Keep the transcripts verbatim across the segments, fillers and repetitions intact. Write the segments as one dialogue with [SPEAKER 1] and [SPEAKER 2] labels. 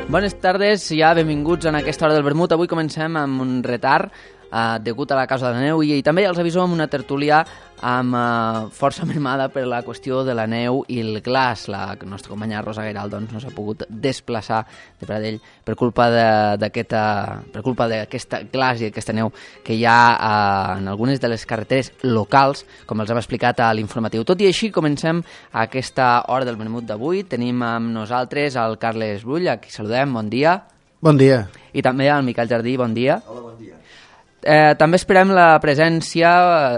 [SPEAKER 1] Bones tardes, ja benvinguts en aquesta hora del vermut. Avui comencem amb un retard eh, degut a la causa de la neu i, i també els aviso amb una tertúlia amb eh, força mermada per la qüestió de la neu i el glaç. La nostra companya Rosa Gueral doncs, no s'ha pogut desplaçar de Pradell per culpa d'aquesta per culpa d'aquesta glaç i aquesta neu que hi ha eh, en algunes de les carreteres locals, com els hem explicat a l'informatiu. Tot i així, comencem aquesta hora del vermut d'avui. Tenim amb nosaltres el Carles Brull, a qui saludem. Bon dia.
[SPEAKER 2] Bon dia.
[SPEAKER 1] I també el Miquel Jardí. Bon dia.
[SPEAKER 3] Hola, bon dia.
[SPEAKER 1] Eh, també esperem la presència,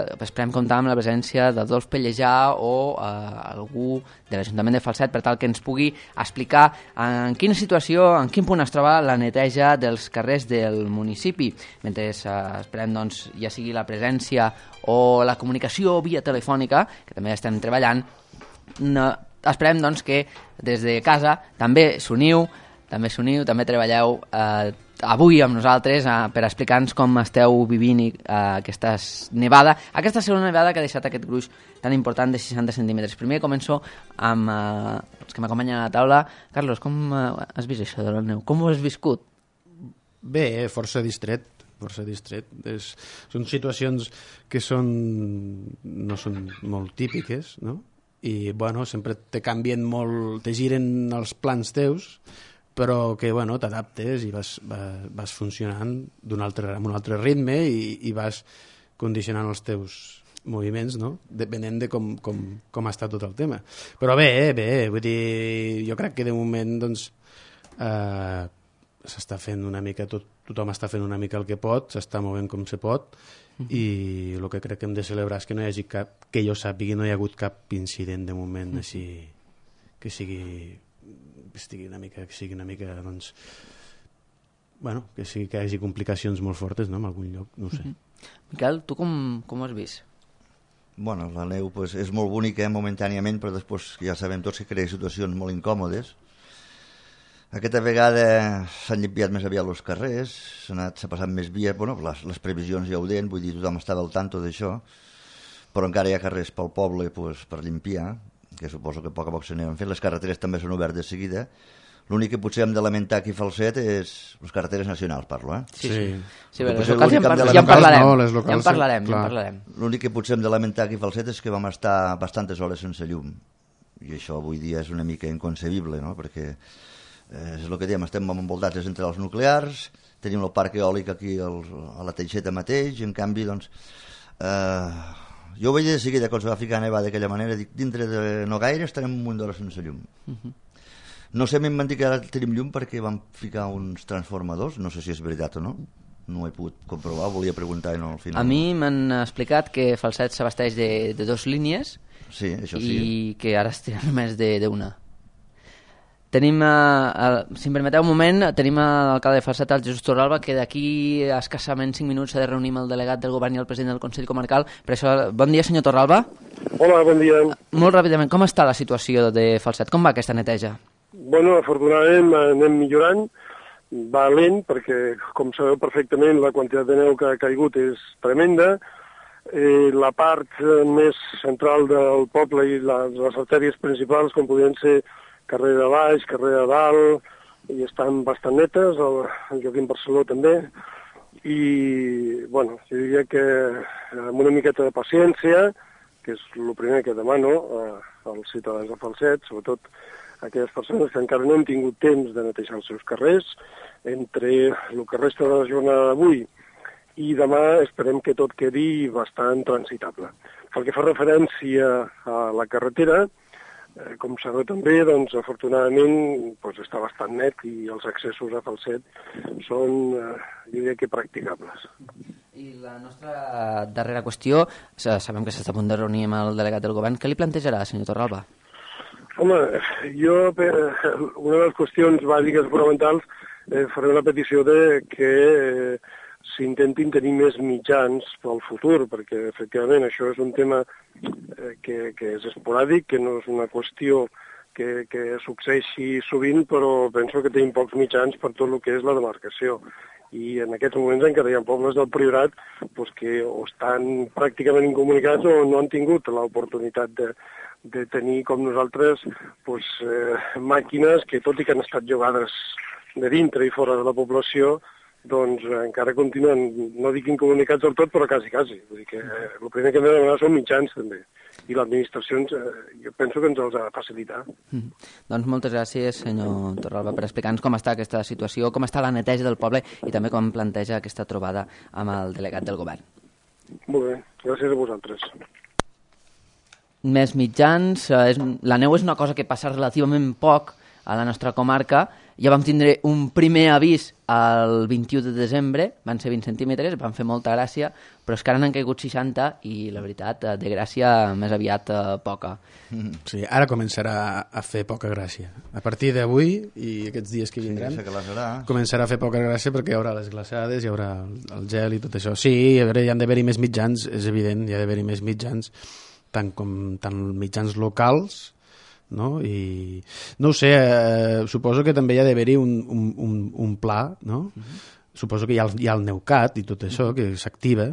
[SPEAKER 1] eh, esperem comptar amb la presència d'Adolf Pellejà o eh, algú de l'Ajuntament de Falset per tal que ens pugui explicar en quina situació, en quin punt es troba la neteja dels carrers del municipi. Mentre eh, esperem doncs, ja sigui la presència o la comunicació via telefònica, que també estem treballant, no, esperem doncs, que des de casa també s'uniu, també s'uniu, també treballeu eh, avui amb nosaltres eh, per explicar-nos com esteu vivint eh, aquesta nevada, aquesta segona nevada que ha deixat aquest gruix tan important de seixanta centímetres. Primer començo amb eh, els que m'acompanyen a la taula. Carlos, com eh, has vist això de la neu? Com ho has viscut?
[SPEAKER 2] Bé, força distret, força distret. És, són situacions que són, no són molt típiques, no? I, bueno, sempre te canvien molt, te giren els plans teus, però que, bueno, t'adaptes i vas, vas, vas funcionant d'un altre, amb un altre ritme i, i vas condicionant els teus moviments, no? Depenent de com, com, com ha estat tot el tema. Però bé, bé, vull dir, jo crec que de moment, doncs, eh, s'està fent una mica, tot, tothom està fent una mica el que pot, s'està movent com se pot, uh-huh. I el que crec que hem de celebrar és que no hi hagi cap, que jo sàpigui, no hi ha hagut cap incident de moment, uh-huh. Així que sigui... que estigui una mica, que sigui una mica, doncs, bueno, que sigui que hi hagi complicacions molt fortes, no?, en algun lloc, no ho sé.
[SPEAKER 1] Mm-hmm. Miquel, tu com, com ho has vist?
[SPEAKER 3] Bueno, la neu pues, és molt bonica eh, momentàniament, però després ja sabem tots que crea situacions molt incòmodes. Aquesta vegada s'han limpiat més aviat els carrers, s'ha passat més via, bueno, les, les previsions ja ho deien, vull dir, tothom estava al tanto d'això, però encara hi ha carrers pel poble pues, per limpiar, que suposo que a poc a poc s'aniran fent. Les carreteres també són obertes de seguida. L'únic que potser hem de lamentar aquí a Falset és les carreteres nacionals, parlo, eh?
[SPEAKER 1] Sí, sí. sí
[SPEAKER 3] bé,
[SPEAKER 1] les
[SPEAKER 3] locals
[SPEAKER 1] ja, en par
[SPEAKER 3] de
[SPEAKER 1] ja en parlarem. No,
[SPEAKER 2] les locals,
[SPEAKER 1] ja en parlarem, ja en parlarem.
[SPEAKER 3] L'únic que potser hem de lamentar aquí a Falset és que vam estar bastantes hores sense llum. I això avui dia és una mica inconcebible, no? Perquè eh, és el que diem, estem envoltats de centrals nuclears, tenim el parc eòlic aquí al, a la Teixeta mateix, i en canvi, doncs... Eh, jo ho veig de seguida, quan se va ficar a nevar d'aquella manera, dic, dintre de no gaire estarem un munt d'hores sense llum. Uh-huh. No sé, m'han dit que ara tenim llum perquè vam ficar uns transformadors, no sé si és veritat o no, no ho he pogut comprovar, volia preguntar i no al final.
[SPEAKER 1] A mi m'han explicat que Falset s'abasteix de, de dos línies,
[SPEAKER 3] sí, això sí.
[SPEAKER 1] I que ara es tenen només d'una. Tenim, eh, si em permeteu un moment, tenim l'alcalde de Falset, el Jesús Torralba, que d'aquí a escassament cinc minuts s'ha de reunir amb el delegat del govern i el president del Consell Comarcal. Per això, bon dia, senyor Torralba.
[SPEAKER 4] Hola, bon dia.
[SPEAKER 1] Molt ràpidament, com està la situació de Falset? Com va aquesta neteja?
[SPEAKER 4] Bueno, afortunadament anem millorant. Va lent, perquè, com sabeu perfectament, la quantitat de neu que ha caigut és tremenda. Eh, la part més central del poble i les, les artèries principals, com podien ser carrer de baix, carrer de dalt, i estan bastant netes, el, el Joaquim Barceló també, i, bueno, jo diria que amb una miqueta de paciència, que és el primer que demano eh, als ciutadans de Falset, sobretot aquelles persones que encara no han tingut temps de netejar els seus carrers, entre el que resta de la jornada d'avui i demà esperem que tot quedi bastant transitable. Pel que fa referència a la carretera, Eh, com sabeu també, doncs, afortunadament doncs, està bastant net i els accessos a Falset són, eh, jo diria que practicables.
[SPEAKER 1] I la nostra darrera qüestió, sabem que s'està a punt de reunir amb el delegat del govern, què li plantejarà, senyor Torralba?
[SPEAKER 4] Home, jo, per, una de les qüestions bàsiques fonamentals, eh, faré una petició de que eh, s'intentin tenir més mitjans pel futur, perquè efectivament això és un tema eh, que, que és esporàdic, que no és una qüestió que, que succeeixi sovint, però penso que tenim pocs mitjans per tot el que és la demarcació. I en aquests moments encara hi ha pobles del Priorat doncs, que o estan pràcticament incomunicats o no han tingut l'oportunitat de, de tenir com nosaltres doncs, eh, màquines que, tot i que han estat jugades de dintre i fora de la població, doncs encara continuen, no dic incomunicats del tot, però quasi, quasi. Vull dir que eh, el primer que hem de demanar són mitjans, també. I l'administració, eh, jo penso que ens els ha de facilitar.
[SPEAKER 1] Mm. Doncs moltes gràcies, senyor Torralba, per explicar-nos com està aquesta situació, com està la neteja del poble i també com planteja aquesta trobada amb el delegat del govern.
[SPEAKER 4] Molt bé, gràcies a vosaltres.
[SPEAKER 1] Més mitjans, eh, és, la neu és una cosa que passa relativament poc a la nostra comarca. Ja vam tindre un primer avís el vint-i-u de desembre, van ser vint centímetres, van fer molta gràcia, però és que ara n'han caigut seixanta i la veritat, de gràcia més aviat eh, poca.
[SPEAKER 2] Sí, ara començarà a fer poca gràcia. A partir d'avui i aquests dies que vindran,
[SPEAKER 3] sí,
[SPEAKER 2] començarà a fer poca gràcia perquè hi haurà les glaçades, hi haurà el gel i tot això. Sí, a veure, hi han d'haver-hi més mitjans, és evident, hi ha d'haver-hi més mitjans, tant com tant mitjans locals, no? I no ho sé, eh, suposo que també hi ha d'haver-hi un, un, un, un pla, no? Uh-huh. Suposo que hi ha, el, hi ha el Neucat i tot això, uh-huh, que s'activa,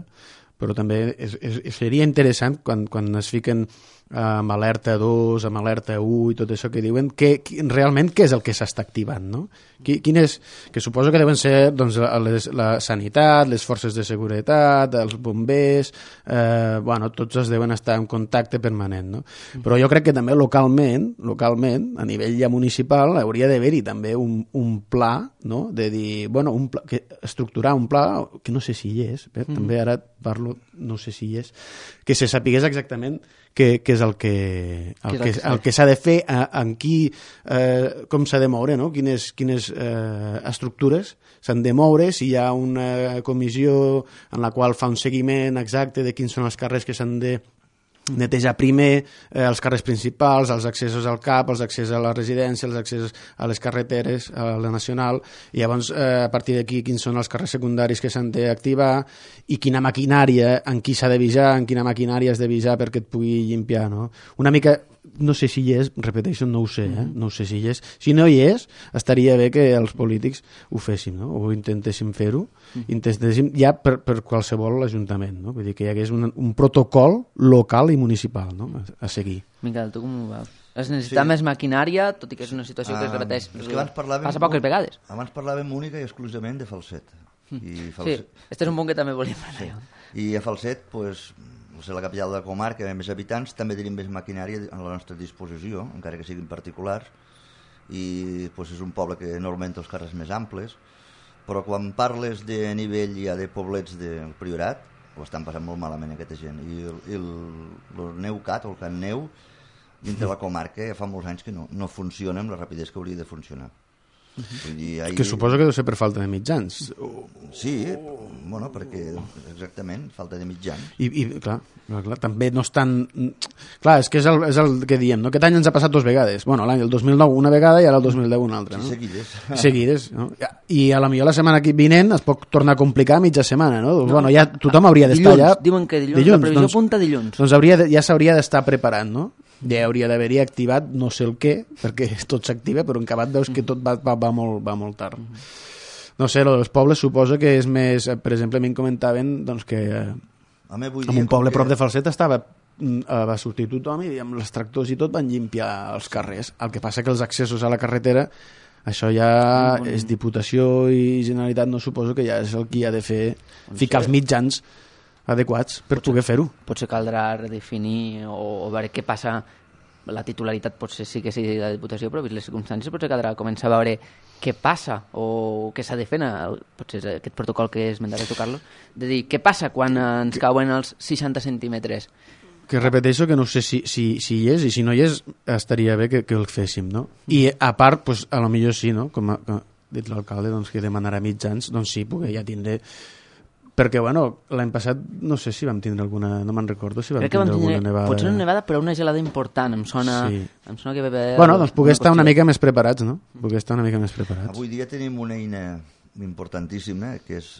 [SPEAKER 2] però també és, és, seria interessant quan, quan es fiquen amb alerta dos, amb alerta u i tot això que diuen, que, que realment què és el que s'està activant, no? Quin és, que suposo que deuen ser doncs, les, la sanitat, les forces de seguretat, els bombers, eh, bueno, tots es deuen estar en contacte permanent, no? Però jo crec que també localment, localment, a nivell ja municipal, hauria d'haver-hi també un, un pla, no? De dir, bueno, un pla, que estructurar un pla, que no sé si hi és, eh? mm. també ara parlo, no sé si hi és, que se sapigués exactament què, què és el que, el que, el que s'ha de fer, en qui, eh, com s'ha de moure, no? Quines, quines eh, estructures s'han de moure, si hi ha una comissió en la qual fa un seguiment exacte de quins són els carrers que s'han de netejar primer, eh, els carrers principals, els accessos al C A P, els accessos a la residència, els accessos a les carreteres, a la nacional, i llavors eh, a partir d'aquí quins són els carrers secundaris que s'han d'activar i quina maquinària, en qui s'ha d'avisar, en quina maquinària has d'avisar perquè et pugui llimpiar, no? Una mica, no sé si hi és, repeteixo, no ho sé, eh? no sé si hi és. Si no hi és, estaria bé que els polítics ho féssim, no? O intentéssim fer-ho, intentéssim ja per, per qualsevol ajuntament, no? Vull dir que hi hagués un, un protocol local i municipal, no? a, a seguir.
[SPEAKER 1] Miquel, tu com ho veus? Es necessita sí. més maquinària, tot i que és una situació uh, que es repeteix.
[SPEAKER 3] És que abans parlàvem,
[SPEAKER 1] passa poques vegades.
[SPEAKER 3] Abans parlàvem única i exclusivament de Falset. I Falset.
[SPEAKER 1] Sí, este és un punt que també volíem parlar.
[SPEAKER 3] Sí. I a Falset, pues, o sigui, la capital de la comarca, amb més habitants, també tenim més maquinària a la nostra disposició, encara que siguin particulars, i pues, és un poble que normalment té els carrers més amples, però quan parles de nivell ja de poblets del Priorat, ho estan passant molt malament aquesta gent, i el, el, el Neucat, o el Can Neu, dintre la comarca, ja fa molts anys que no, no funciona amb la rapidesa que hauria de funcionar. Vull dir, ahir...
[SPEAKER 2] Que suposo que deu ser per falta de mitjans.
[SPEAKER 3] Sí, bueno, perquè exactament, falta de mitjans.
[SPEAKER 2] I, i clar, clar, clar, també no estan... Clar, és que és el, és el que diem, no? Aquest any ens ha passat dues vegades. Bueno, l'any el dos mil nou una vegada i ara el dos mil deu una altra, no?
[SPEAKER 3] Sí, seguides.
[SPEAKER 2] Seguides, no? I a la millor la setmana vinent es pot tornar a complicar mitja setmana, no? no. Bueno, ja tothom hauria d'estar
[SPEAKER 1] allà...
[SPEAKER 2] ja...
[SPEAKER 1] Diuen que dilluns, dilluns la previsió doncs, apunta dilluns.
[SPEAKER 2] Doncs hauria de, ja s'hauria d'estar preparant, no? Ja hauria d'haver-hi activat no sé el què, perquè tot s'activa, però en acabat veus que tot va, va, va, molt, va molt tard. No sé, els pobles suposo que és més... Per exemple, a mi em comentaven doncs, que eh, en un poble prop de Falset estava, va sortir tothom i amb els tractors i tot van llimpiar els carrers. El que passa que els accessos a la carretera, això ja és Diputació i Generalitat, no suposo que ja és el qui ha de fer, ficar els mitjans adequats per potser, poder fer-ho. Potser
[SPEAKER 1] caldrà redefinir o, o veure què passa, la titularitat potser sí que sigui de la Diputació, però vist les circumstàncies potser caldrà començar a veure què passa o què s'ha de fer, potser aquest protocol que esmentaré tu, Carlos, de dir què passa quan ens cauen els seixanta centímetres.
[SPEAKER 2] Que repeteixo que no sé si, si, si hi és, i si no hi és estaria bé que, que el féssim, no? I a part, pues, a lo millor sí, no? Com ha dit l'alcalde, doncs, que demanarà mitjans, doncs sí, perquè ja tindré... Perquè, bueno, l'any passat no sé si vam tindre alguna... No me'n recordo si vam
[SPEAKER 1] Crec
[SPEAKER 2] tindre,
[SPEAKER 1] vam tindre
[SPEAKER 2] alguna nevada.
[SPEAKER 1] Potser una nevada, però una gelada important. Em sona, sí. em sona que... Bebe,
[SPEAKER 2] bueno, doncs poder estar una mica més preparats, no? Poder estar una mica més preparats.
[SPEAKER 3] Avui dia tenim una eina importantíssima, que és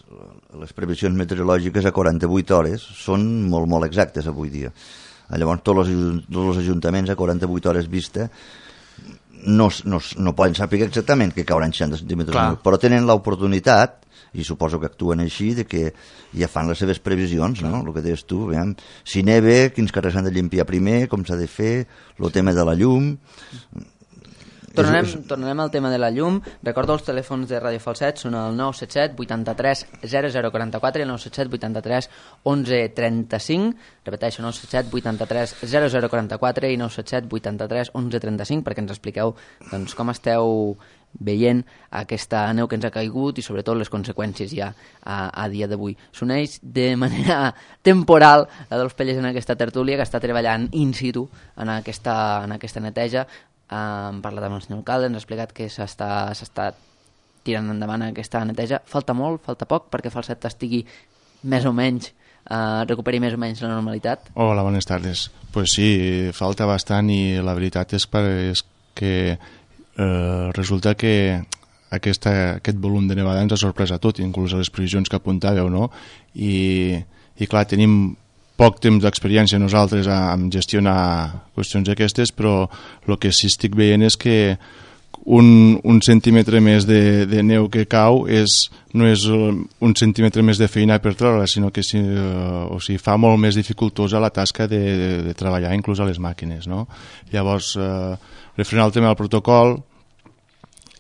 [SPEAKER 3] les previsions meteorològiques a quaranta-vuit hores. Són molt, molt exactes avui dia. Llavors, tots els, tots els ajuntaments a quaranta-vuit hores vista no, no, no poden saber exactament que cauran seixanta centímetres, Clar. però tenen l'oportunitat, i suposo que actuen així, de que ja fan les seves previsions, no? El que deies tu, veiem, si neve, quins carrers s'han de limpiar primer, com s'ha de fer, el tema de la llum...
[SPEAKER 1] Tornarem,
[SPEAKER 3] és, és...
[SPEAKER 1] tornarem al tema de la llum. Recordo els telèfons de Ràdio Falset, són el nou set set vuitanta-tres zero zero quaranta-quatre i el nou set set vuitanta-tres onze trenta-cinc. Repeteixo, nou set set vuitanta-tres zero zero quaranta-quatre i nou set set vuitanta-tres onze trenta-cinc, perquè ens expliqueu doncs, com esteu veient aquesta neu que ens ha caigut i sobretot les conseqüències ja a, a dia d'avui. S'uneix de manera temporal la dels Pelles en aquesta tertúlia, que està treballant in situ en aquesta, en aquesta neteja. Uh, hem parlat amb el senyor alcalde, ens ha explicat que s'està tirant endavant aquesta neteja. Falta molt, falta poc perquè Falset estigui més o menys, uh, recuperi més o menys la normalitat.
[SPEAKER 5] Hola, bones tardes. Pues sí, falta bastant i la veritat és, per, és que eh, resulta que aquesta, aquest volum de nevada ens ha sorprès a tot, inclús a les previsions que apuntàveu, no? I, i clar, tenim poc temps d'experiència nosaltres a, a gestionar qüestions aquestes, però el que sí estic veient és que un, un centímetre més de, de neu que cau és, no és un centímetre més de feina per treure, sinó que si, uh, o sigui, fa molt més dificultosa la tasca de, de, de treballar, inclús a les màquines, no? Llavors, uh, referent al tema del protocol,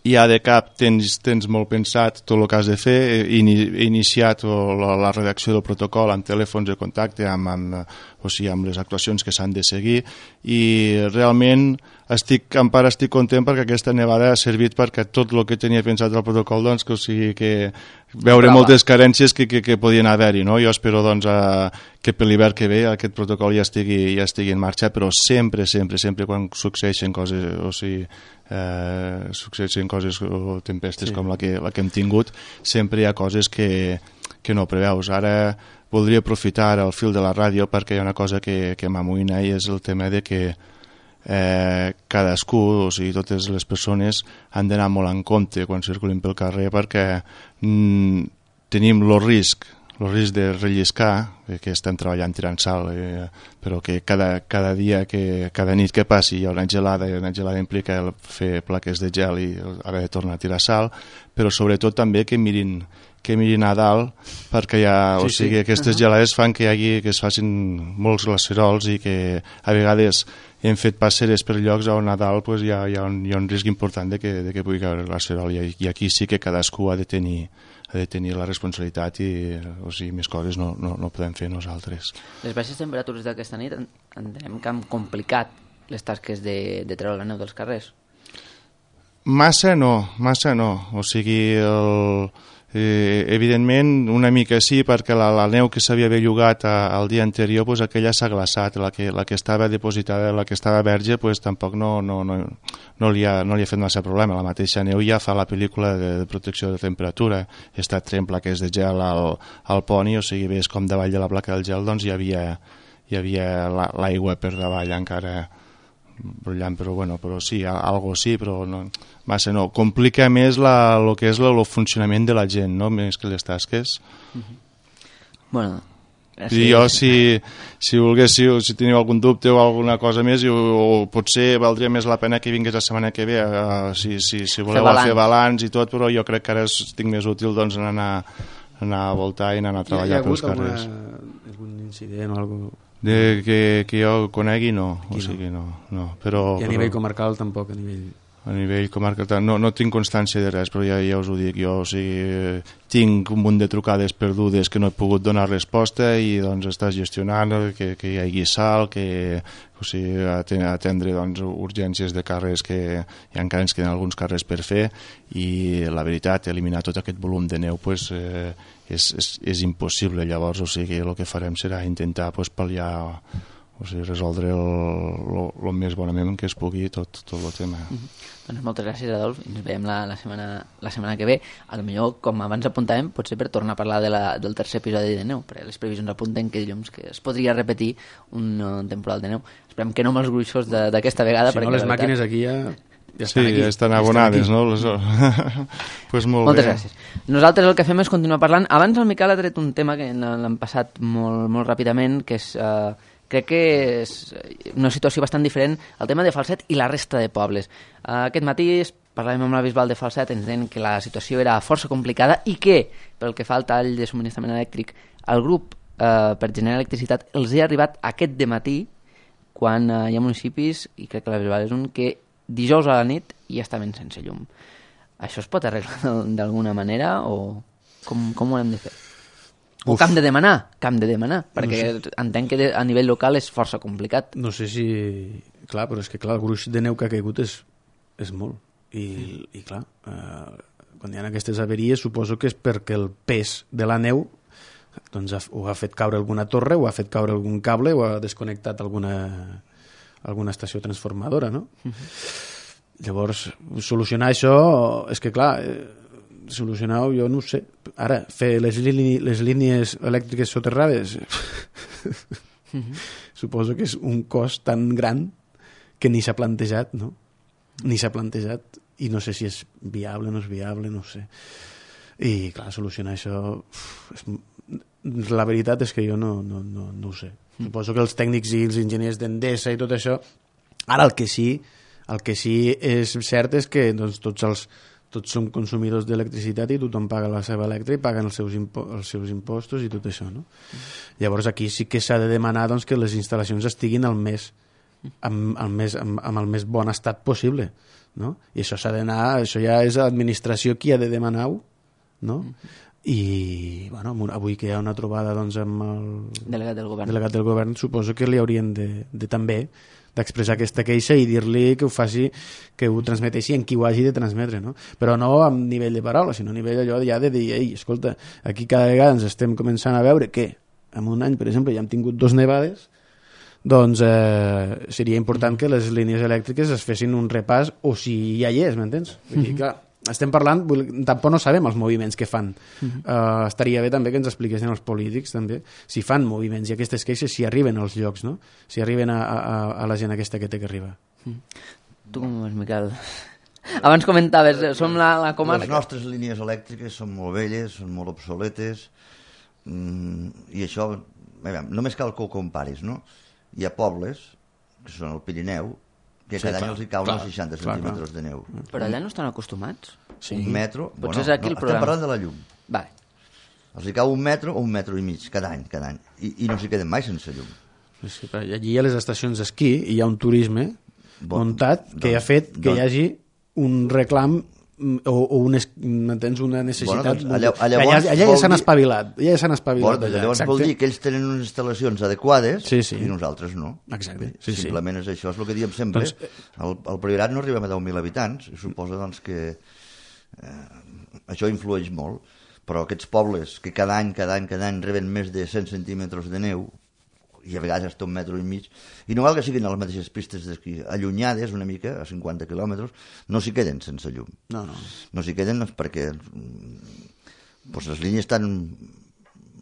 [SPEAKER 5] ja de cap tens, tens molt pensat tot el que has de fer, he iniciat la, la redacció del protocol amb telèfons de contacte, amb, amb, o sigui, amb les actuacions que s'han de seguir, i realment estic, en part estic content perquè aquesta nevada ha servit perquè tot el que tenia pensat del protocol, doncs, que, o sigui, que veure Brava. moltes carències que, que, que podien haver-hi, no? Jo espero doncs, a, que per l'hivern que ve aquest protocol ja estigui, ja estigui en marxa, però sempre, sempre, sempre quan succeeixen coses, o sigui, eh, succeeixen coses o tempestes sí. com la que, la que hem tingut, sempre hi ha coses que, que no preveus. Ara voldria aprofitar el fil de la ràdio perquè hi ha una cosa que, que m'amoïna i és el tema de que eh, cadascú, o sigui, totes les persones han d'anar molt en compte quan circulin pel carrer perquè mm, tenim el risc, el risc de relliscar, que estem treballant tirant sal, eh, però que cada, cada dia, que, cada nit que passi hi ha una gelada, i una gelada implica fer plaques de gel i haver de tornar a tirar sal, però sobretot també que mirin que mirin a dalt perquè ja, sí, o sigui, sí. aquestes uh-huh. gelades fan que hi hagi, que es facin molts glacerols i que a vegades hem fet passeres per llocs on a dalt pues, hi, ha, hi, ha un, hi ha un risc important de que, de que pugui caure el glacerol i, i aquí sí que cadascú ha de tenir ha de tenir la responsabilitat i o sigui, més coses no, no, no podem fer nosaltres.
[SPEAKER 1] Les baixes temperatures d'aquesta nit entenem que han complicat les tasques de, de treure la neu dels carrers?
[SPEAKER 5] Massa no, massa no. O sigui, el, eh, evidentment una mica sí, perquè la, la neu que s'havia bellugat el dia anterior, pues, aquella s'ha glaçat, la que, la que estava depositada, la que estava verge, pues, tampoc no, no, no, no, li ha, no li ha fet massa problema. La mateixa neu ja fa la pel·lícula de, de protecció de temperatura, he estat traient plaques de gel al, al poni, o sigui, ves com davall de la placa del gel doncs hi havia, hi havia la, l'aigua per davall encara brollant, però bueno, però sí, algo sí, però no, massa no. Complica més la, lo que és el funcionament de la gent, no? Més que les tasques.
[SPEAKER 1] Uh-huh. Bueno,
[SPEAKER 5] gràcies. I jo, si, si volguéssiu, si teniu algun dubte o alguna cosa més, o, o potser valdria més la pena que vingués la setmana que ve, uh, si, si, si voleu fer balanç. fer balanç i tot, però jo crec que ara estic més útil doncs, en anar, anar a voltar i anar a treballar pels carrers. Hi ha
[SPEAKER 2] hagut algun incident o alguna cosa?
[SPEAKER 5] De que, que jo conegui, no. Aquí o sigui, no. no, no. Però,
[SPEAKER 2] I a nivell però, comarcal tampoc, a nivell...
[SPEAKER 5] A nivell comarcal no, no tinc constància de res, però ja, ja us ho dic, jo o sigui, tinc un munt de trucades perdudes que no he pogut donar resposta i doncs estàs gestionant que, que hi hagi sal, que o sigui, atendre doncs, urgències de carrers que ja encara ens queden alguns carrers per fer i la veritat, eliminar tot aquest volum de neu pues, eh, és, és, és impossible. Llavors, o sigui, el que farem serà intentar pues, pal·liar, o sigui, resoldre el més bonament que es pugui tot, tot el tema.
[SPEAKER 1] Mm-hmm. Doncs moltes gràcies, Adolf, i ens veiem la, la, setmana, la setmana que ve. A lo millor, com abans apuntàvem, potser per tornar a parlar de la, del tercer episodi de neu, perquè les previsions apunten que dilluns que es podria repetir un uh, temporal de neu. Esperem que no amb els gruixos d'aquesta vegada.
[SPEAKER 2] Si no, les màquines aquí ja... Ja
[SPEAKER 5] estan sí, aquí. Ja estan abonades, no? Les... pues molt
[SPEAKER 1] Moltes
[SPEAKER 5] bé.
[SPEAKER 1] gràcies. Nosaltres el que fem és continuar parlant. Abans el Miquel ha tret un tema que l'han passat molt, molt ràpidament, que és... Uh, crec que és una situació bastant diferent el tema de Falset i la resta de pobles. Uh, aquest matí parlàvem amb la Bisbal de Falset, ens deien que la situació era força complicada i que, pel que fa al tall de subministrament elèctric, el grup uh, per generar electricitat els ha arribat aquest dematí, quan uh, hi ha municipis, i crec que la Bisbal és un, que dijous a la nit i estaven sense llum. Això es pot arreglar d'alguna manera o com, com ho hem de fer? O
[SPEAKER 2] Uf.
[SPEAKER 1] que hem de demanar, que hem de demanar, perquè
[SPEAKER 2] No sé.
[SPEAKER 1] entenc que de, a nivell local és força complicat.
[SPEAKER 2] No sé si... Clar, però és que clar, el gruix de neu que ha caigut és, és molt. I, i clar, eh, quan hi ha aquestes averies suposo que és perquè el pes de la neu doncs ha, o ha fet caure alguna torre o ha fet caure algun cable o ha desconnectat alguna, alguna estació transformadora, no? Uh-huh. Llavors, solucionar això és que clar, eh, solucionar-ho jo no ho sé. Ara, fer les, líni, les línies elèctriques soterrades uh-huh. suposo que és un cost tan gran que ni s'ha plantejat, no? Ni s'ha plantejat i no sé si és viable o no és viable, no ho sé. I clar, solucionar això uf, és, la veritat és que jo no, no, no, no ho sé. Mm. Suposo que els tècnics i els enginyers d'Endesa i tot això, ara el que sí el que sí és cert és que doncs, tots els tots som consumidors d'electricitat i tothom paga la seva elèctrica i paguen els seus, impo els seus impostos i tot això, no? Mm. Llavors aquí sí que s'ha de demanar doncs, que les instal·lacions estiguin al més amb, el més, amb, amb el més bon estat possible, no? I això s'ha d'anar, això ja és l'administració qui ha de demanar-ho, no? Mm-hmm. I bueno, avui que hi ha una trobada doncs, amb el
[SPEAKER 1] delegat del govern,
[SPEAKER 2] delegat del govern suposo que li haurien de, de també d'expressar aquesta queixa i dir-li que ho faci, que ho transmeteixi en qui ho hagi de transmetre, no? Però no a nivell de paraula, sinó a nivell allò ja de dir, ei, escolta, aquí cada vegada ens estem començant a veure que en un any, per exemple, ja hem tingut dos nevades, doncs eh, seria important que les línies elèctriques es fessin un repàs, o si ja hi és, m'entens? Vull dir, clar, estem parlant, tampoc no sabem els moviments que fan. Uh-huh. uh, estaria bé també que ens expliquessin els polítics també, si fan moviments i aquestes queixes si arriben als llocs, no? Si arriben a, a, a la gent aquesta que té que arribar.
[SPEAKER 1] Uh-huh. Tu com ho veus, Miquel? Abans comentaves, som la, la comarca...
[SPEAKER 3] Les nostres línies elèctriques són molt velles, són molt obsoletes, mm, i això, veure, només cal que ho comparis, no? Hi ha pobles, que són el Pirineu, que sí, cada clar, any els hi cauen clar, seixanta centímetres de neu.
[SPEAKER 1] Però allà no estan acostumats?
[SPEAKER 3] Sí. Un metro...
[SPEAKER 1] Potser
[SPEAKER 3] bueno,
[SPEAKER 1] és aquí
[SPEAKER 3] no,
[SPEAKER 1] el problema.
[SPEAKER 3] Estem parlant de la llum.
[SPEAKER 1] Vale.
[SPEAKER 3] Els hi cau un metro o un metro i mig, cada any, cada any. I, i no s'hi queden mai sense llum.
[SPEAKER 2] Sí, però allí hi ha les estacions d'esquí i hi ha un turisme bon, muntat que doncs, ha fet que doncs, hi hagi un reclam o, o un, m'entens, una necessitat.
[SPEAKER 3] Bueno, doncs, allà, allà,
[SPEAKER 2] allà, allà ja s'han espavilat. Allà ja s'han espavilat.
[SPEAKER 3] Bueno, allà, llavors exacte. Vol dir que ells tenen unes instal·lacions adequades
[SPEAKER 2] sí, sí.
[SPEAKER 3] i nosaltres no.
[SPEAKER 2] Exacte. Sí,
[SPEAKER 3] simplement
[SPEAKER 2] sí.
[SPEAKER 3] és això, és el que diem sempre. Doncs, el, el Priorat no arribem a deu mil habitants, i suposa doncs, que eh, això influeix molt, però aquests pobles que cada any, cada any, cada any reben més de cent centímetres de neu, i a vegades hasta un metro i mig, i no val que siguin a les mateixes pistes d'esquí, allunyades una mica, a cinquanta quilòmetres, no s'hi queden sense llum.
[SPEAKER 2] No, no.
[SPEAKER 3] No s'hi queden perquè doncs, les línies estan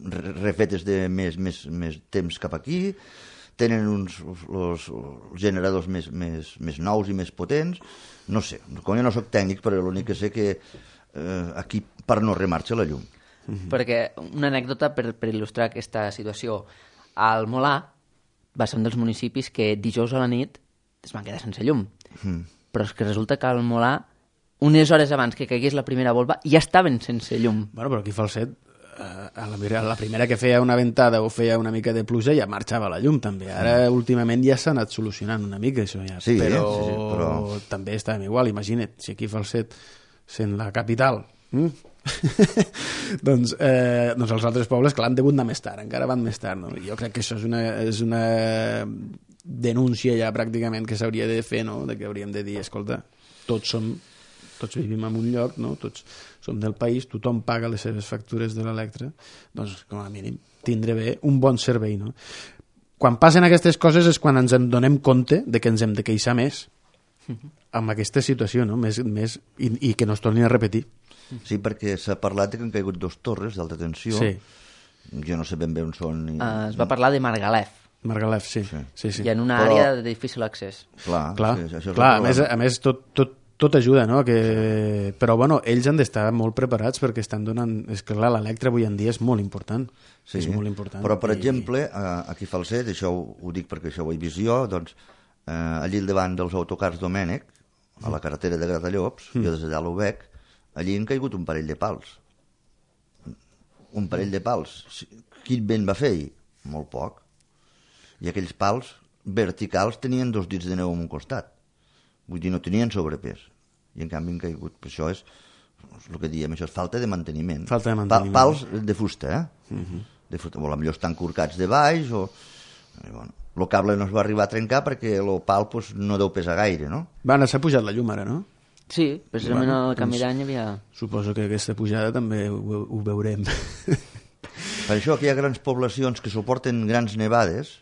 [SPEAKER 3] refetes de més, més, més temps cap aquí, tenen uns els, els generadors més, més, més nous i més potents, no sé, com jo no soc tècnic, però l'únic que sé que eh, aquí per no remarxa la llum.
[SPEAKER 1] Mm-hmm. Perquè una anècdota per, per il·lustrar aquesta situació, al Molà va ser un dels municipis que dijous a la nit es van quedar sense llum. Mm. Però és que resulta que al Molà, unes hores abans que caigués la primera volva, ja estaven sense llum.
[SPEAKER 2] Bueno, però aquí a Falset, a la, la primera que feia una ventada o feia una mica de pluja ja marxava la llum, també. Ara, mm. últimament, ja s'ha anat solucionant una mica, això ja.
[SPEAKER 3] Sí,
[SPEAKER 2] però,
[SPEAKER 3] sí, sí, però...
[SPEAKER 2] també estàvem igual, imagina't, si aquí a Falset, sent la capital... Mm? doncs, eh, doncs els altres pobles, clar, han degut anar més tard, encara van més tard, no? Jo crec que això és una, és una denúncia ja pràcticament que s'hauria de fer, no? De que hauríem de dir, escolta, tots som tots vivim en un lloc, no? Tots som del país, tothom paga les seves factures de l'electre, doncs com a mínim tindre bé un bon servei, no? Quan passen aquestes coses és quan ens en donem compte de que ens hem de queixar més amb aquesta situació, no? Més, més, i, i que no es torni a repetir.
[SPEAKER 3] Sí, perquè s'ha parlat que han caigut dos torres d'alta tensió.
[SPEAKER 2] Sí.
[SPEAKER 3] Jo no sé ben bé on són. I...
[SPEAKER 1] Uh, es va parlar de Margalef.
[SPEAKER 2] Margalef, sí. sí. sí, sí.
[SPEAKER 1] I en una
[SPEAKER 3] Però...
[SPEAKER 1] àrea de difícil accés.
[SPEAKER 3] Clar,
[SPEAKER 2] clar,
[SPEAKER 3] sí, això és
[SPEAKER 2] clar a més, a més tot, tot, tot ajuda, no? Que... Però bueno, ells han d'estar molt preparats perquè estan donant... És que clar, l'electre avui en dia és molt important.
[SPEAKER 3] Sí,
[SPEAKER 2] és molt important.
[SPEAKER 3] Però, per
[SPEAKER 2] I...
[SPEAKER 3] exemple, aquí a Falset, això ho, ho dic perquè això ho he vist jo, doncs, eh, allí al davant dels autocars Domènec, a la carretera de Gratallops, mm. jo des d'allà ho veig, allí han caigut un parell de pals. Un parell de pals. Quin vent va fer ahir? Molt poc. I aquells pals verticals tenien dos dits de neu en un costat. Vull dir, no tenien sobrepès. i en canvi han caigut. Per això és, és el que diem, això és falta de manteniment.
[SPEAKER 2] Falta de manteniment.
[SPEAKER 3] Pa, pals de fusta, eh? Uh-huh. De fusta, o potser estan corcats de baix, o... I, bueno, el cable no es va arribar a trencar perquè el pal pues, no deu pesar gaire, no?
[SPEAKER 2] Va, s'ha pujat la llum ara, no?
[SPEAKER 1] Sí, precisament
[SPEAKER 2] Bueno,
[SPEAKER 1] al canvi
[SPEAKER 2] doncs-
[SPEAKER 1] d'any hi havia...
[SPEAKER 2] Suposo que aquesta pujada també ho, ho veurem.
[SPEAKER 3] Per això que hi ha grans poblacions que suporten grans nevades,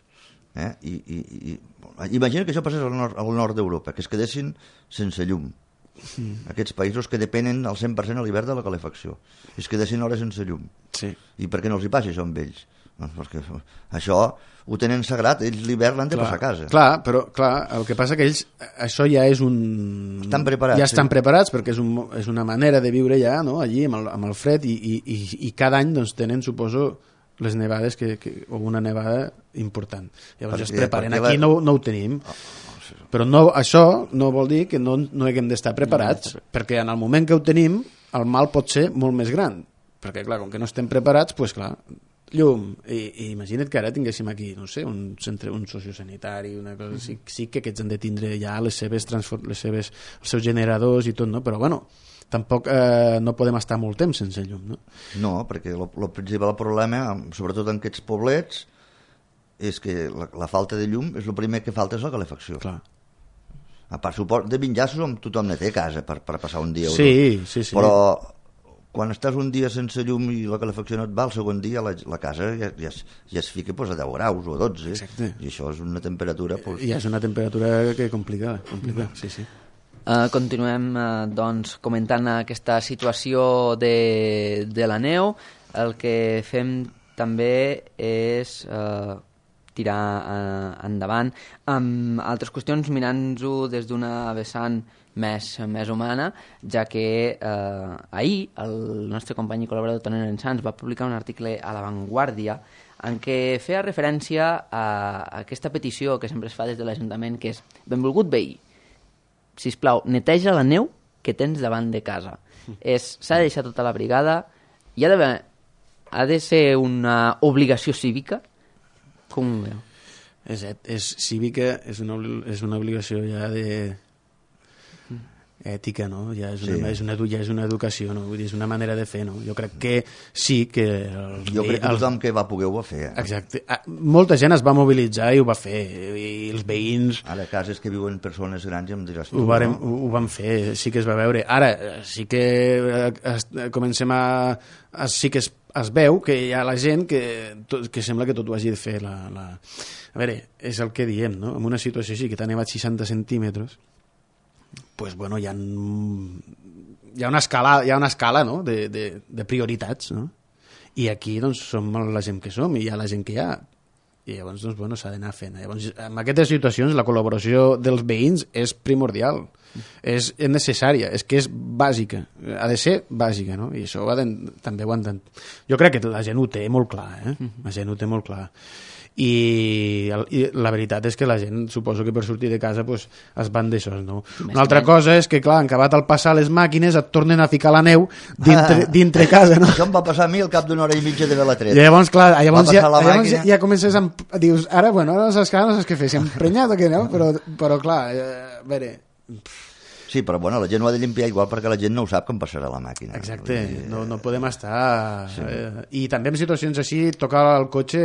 [SPEAKER 3] eh? I, i, i, imagina que això passés al nord, al nord d'Europa, que es quedessin sense llum. Mm. Aquests països que depenen al cent per cent a l'hivern de la calefacció. I es quedessin hores sense llum.
[SPEAKER 2] Sí.
[SPEAKER 3] I per què no els hi passa això amb ells? Doncs perquè això ho tenen sagrat, ells l'hivern l'han de
[SPEAKER 2] Clar,
[SPEAKER 3] passar a casa.
[SPEAKER 2] clar, però clar, el que passa que ells, això ja és un...
[SPEAKER 3] Estan preparats,
[SPEAKER 2] Ja estan
[SPEAKER 3] sí.
[SPEAKER 2] preparats perquè és, un, és una manera de viure ja, no?, allí amb el, amb el fred i, i, i, i cada any doncs, tenen, suposo, les nevades que, que, o una nevada important. Llavors ja es
[SPEAKER 3] Perquè-
[SPEAKER 2] preparen.
[SPEAKER 3] perquè
[SPEAKER 2] Aquí
[SPEAKER 3] la-
[SPEAKER 2] no, no ho tenim. Però no, això no vol dir que no, no haguem d'estar preparats, perquè en el moment que ho tenim el mal pot ser molt més gran. Perquè, clar, com que no estem preparats, doncs, clar, llum, i, i imagina't que ara tinguéssim aquí, no sé, un centre, un sociosanitari, una cosa, sí, sí que aquests han de tindre ja les seves, transfor- les seves, els seus generadors i tot, no? Però bueno, tampoc eh, no podem estar molt temps sense llum, no?
[SPEAKER 3] No, perquè el principal problema, sobretot en aquests poblets, és que la, la falta de llum és el primer que falta és la calefacció.
[SPEAKER 2] Clar.
[SPEAKER 3] A part, suport de vinjassos tothom ne té a casa per, per passar un dia o
[SPEAKER 2] Sí,
[SPEAKER 3] dos.
[SPEAKER 2] sí, sí.
[SPEAKER 3] Però quan estàs un dia sense llum i la calefacció no et va, el segon dia la, la casa ja, ja, es, ja es fica pues, a deu graus o a dotze.
[SPEAKER 2] Exacte.
[SPEAKER 3] I això és una temperatura... Pues...
[SPEAKER 2] Ja és una temperatura que complica, complica, sí, sí.
[SPEAKER 1] Uh, continuem uh, doncs, comentant aquesta situació de, de la neu. El que fem també és uh, tirar uh, endavant amb altres qüestions, mirant-ho des d'una vessant més, més humana, ja que eh, ahir el nostre company i col·laborador Toni Lorenzans va publicar un article a La Vanguardia en què feia referència a aquesta petició que sempre es fa des de l'Ajuntament, que és: benvolgut veí, sisplau, neteja la neu que tens davant de casa. És, s'ha de deixar tota la brigada, hi ha d'haver, ha de ser una obligació cívica? Com ho veu?
[SPEAKER 2] És, és cívica, és una, és una obligació ja de ètica, no? Ja és una,
[SPEAKER 3] Sí.
[SPEAKER 2] és una, ja és una educació, no? Vull dir, és una manera de fer, no? Jo crec que sí que... El,
[SPEAKER 3] Jo crec que
[SPEAKER 2] el,
[SPEAKER 3] tothom que va poder ho va fer. Eh?
[SPEAKER 2] Exacte. Ah, molta gent es va mobilitzar i ho va fer, i els veïns
[SPEAKER 3] Ara, a cases que viuen persones grans, ja em diràs tu,
[SPEAKER 2] ho, vàrem,
[SPEAKER 3] no?
[SPEAKER 2] ho, ho van fer, sí que es va veure. Ara, sí que eh, es, comencem a, a... sí que es, es veu que hi ha la gent que, tot, que sembla que tot ho hagi de fer. La, la... A veure, és el que diem, no? En una situació així, que t'ha nevat seixanta centímetres, pues, bueno, hi ha, hi ha una escala, hi ha una escala, no? de, de, de prioritats, no? I aquí doncs, som la gent que som i hi ha la gent que hi ha. I llavors doncs, bueno, s'ha d'anar fent. Llavors, en aquestes situacions la col·laboració dels veïns és primordial, és, és necessària, és que és bàsica, ha de ser bàsica, no? I això ho ha de, també ho han de... Jo crec que la gent ho té molt clar, eh? La gent ho té molt clar. I, el, i la veritat és que la gent, suposo que per sortir de casa pues, es van d'això, no? Una altra cosa és que, clar, en acabat al passar les màquines et tornen a ficar la neu dintre,
[SPEAKER 3] Ah.
[SPEAKER 2] dintre casa, no?
[SPEAKER 3] Això em va passar a mi al cap d'una hora i mitja de la
[SPEAKER 2] I
[SPEAKER 3] treta.
[SPEAKER 2] llavors, clar, llavors,
[SPEAKER 3] Va
[SPEAKER 2] ja,
[SPEAKER 3] passar la
[SPEAKER 2] llavors ja,
[SPEAKER 3] màquina.
[SPEAKER 2] ja comences a... Dius, ara, bueno, ara no saps, no saps què fer, si hem emprenyat o què, no? Però, però clar, eh, a veure...
[SPEAKER 3] Sí, però bueno, la gent ho ha de limpiar igual perquè la gent no ho sap com passarà la màquina.
[SPEAKER 2] Exacte,
[SPEAKER 3] Vull dir,
[SPEAKER 2] no, no podem estar...
[SPEAKER 3] Sí.
[SPEAKER 2] Eh, I també en situacions així, tocar el cotxe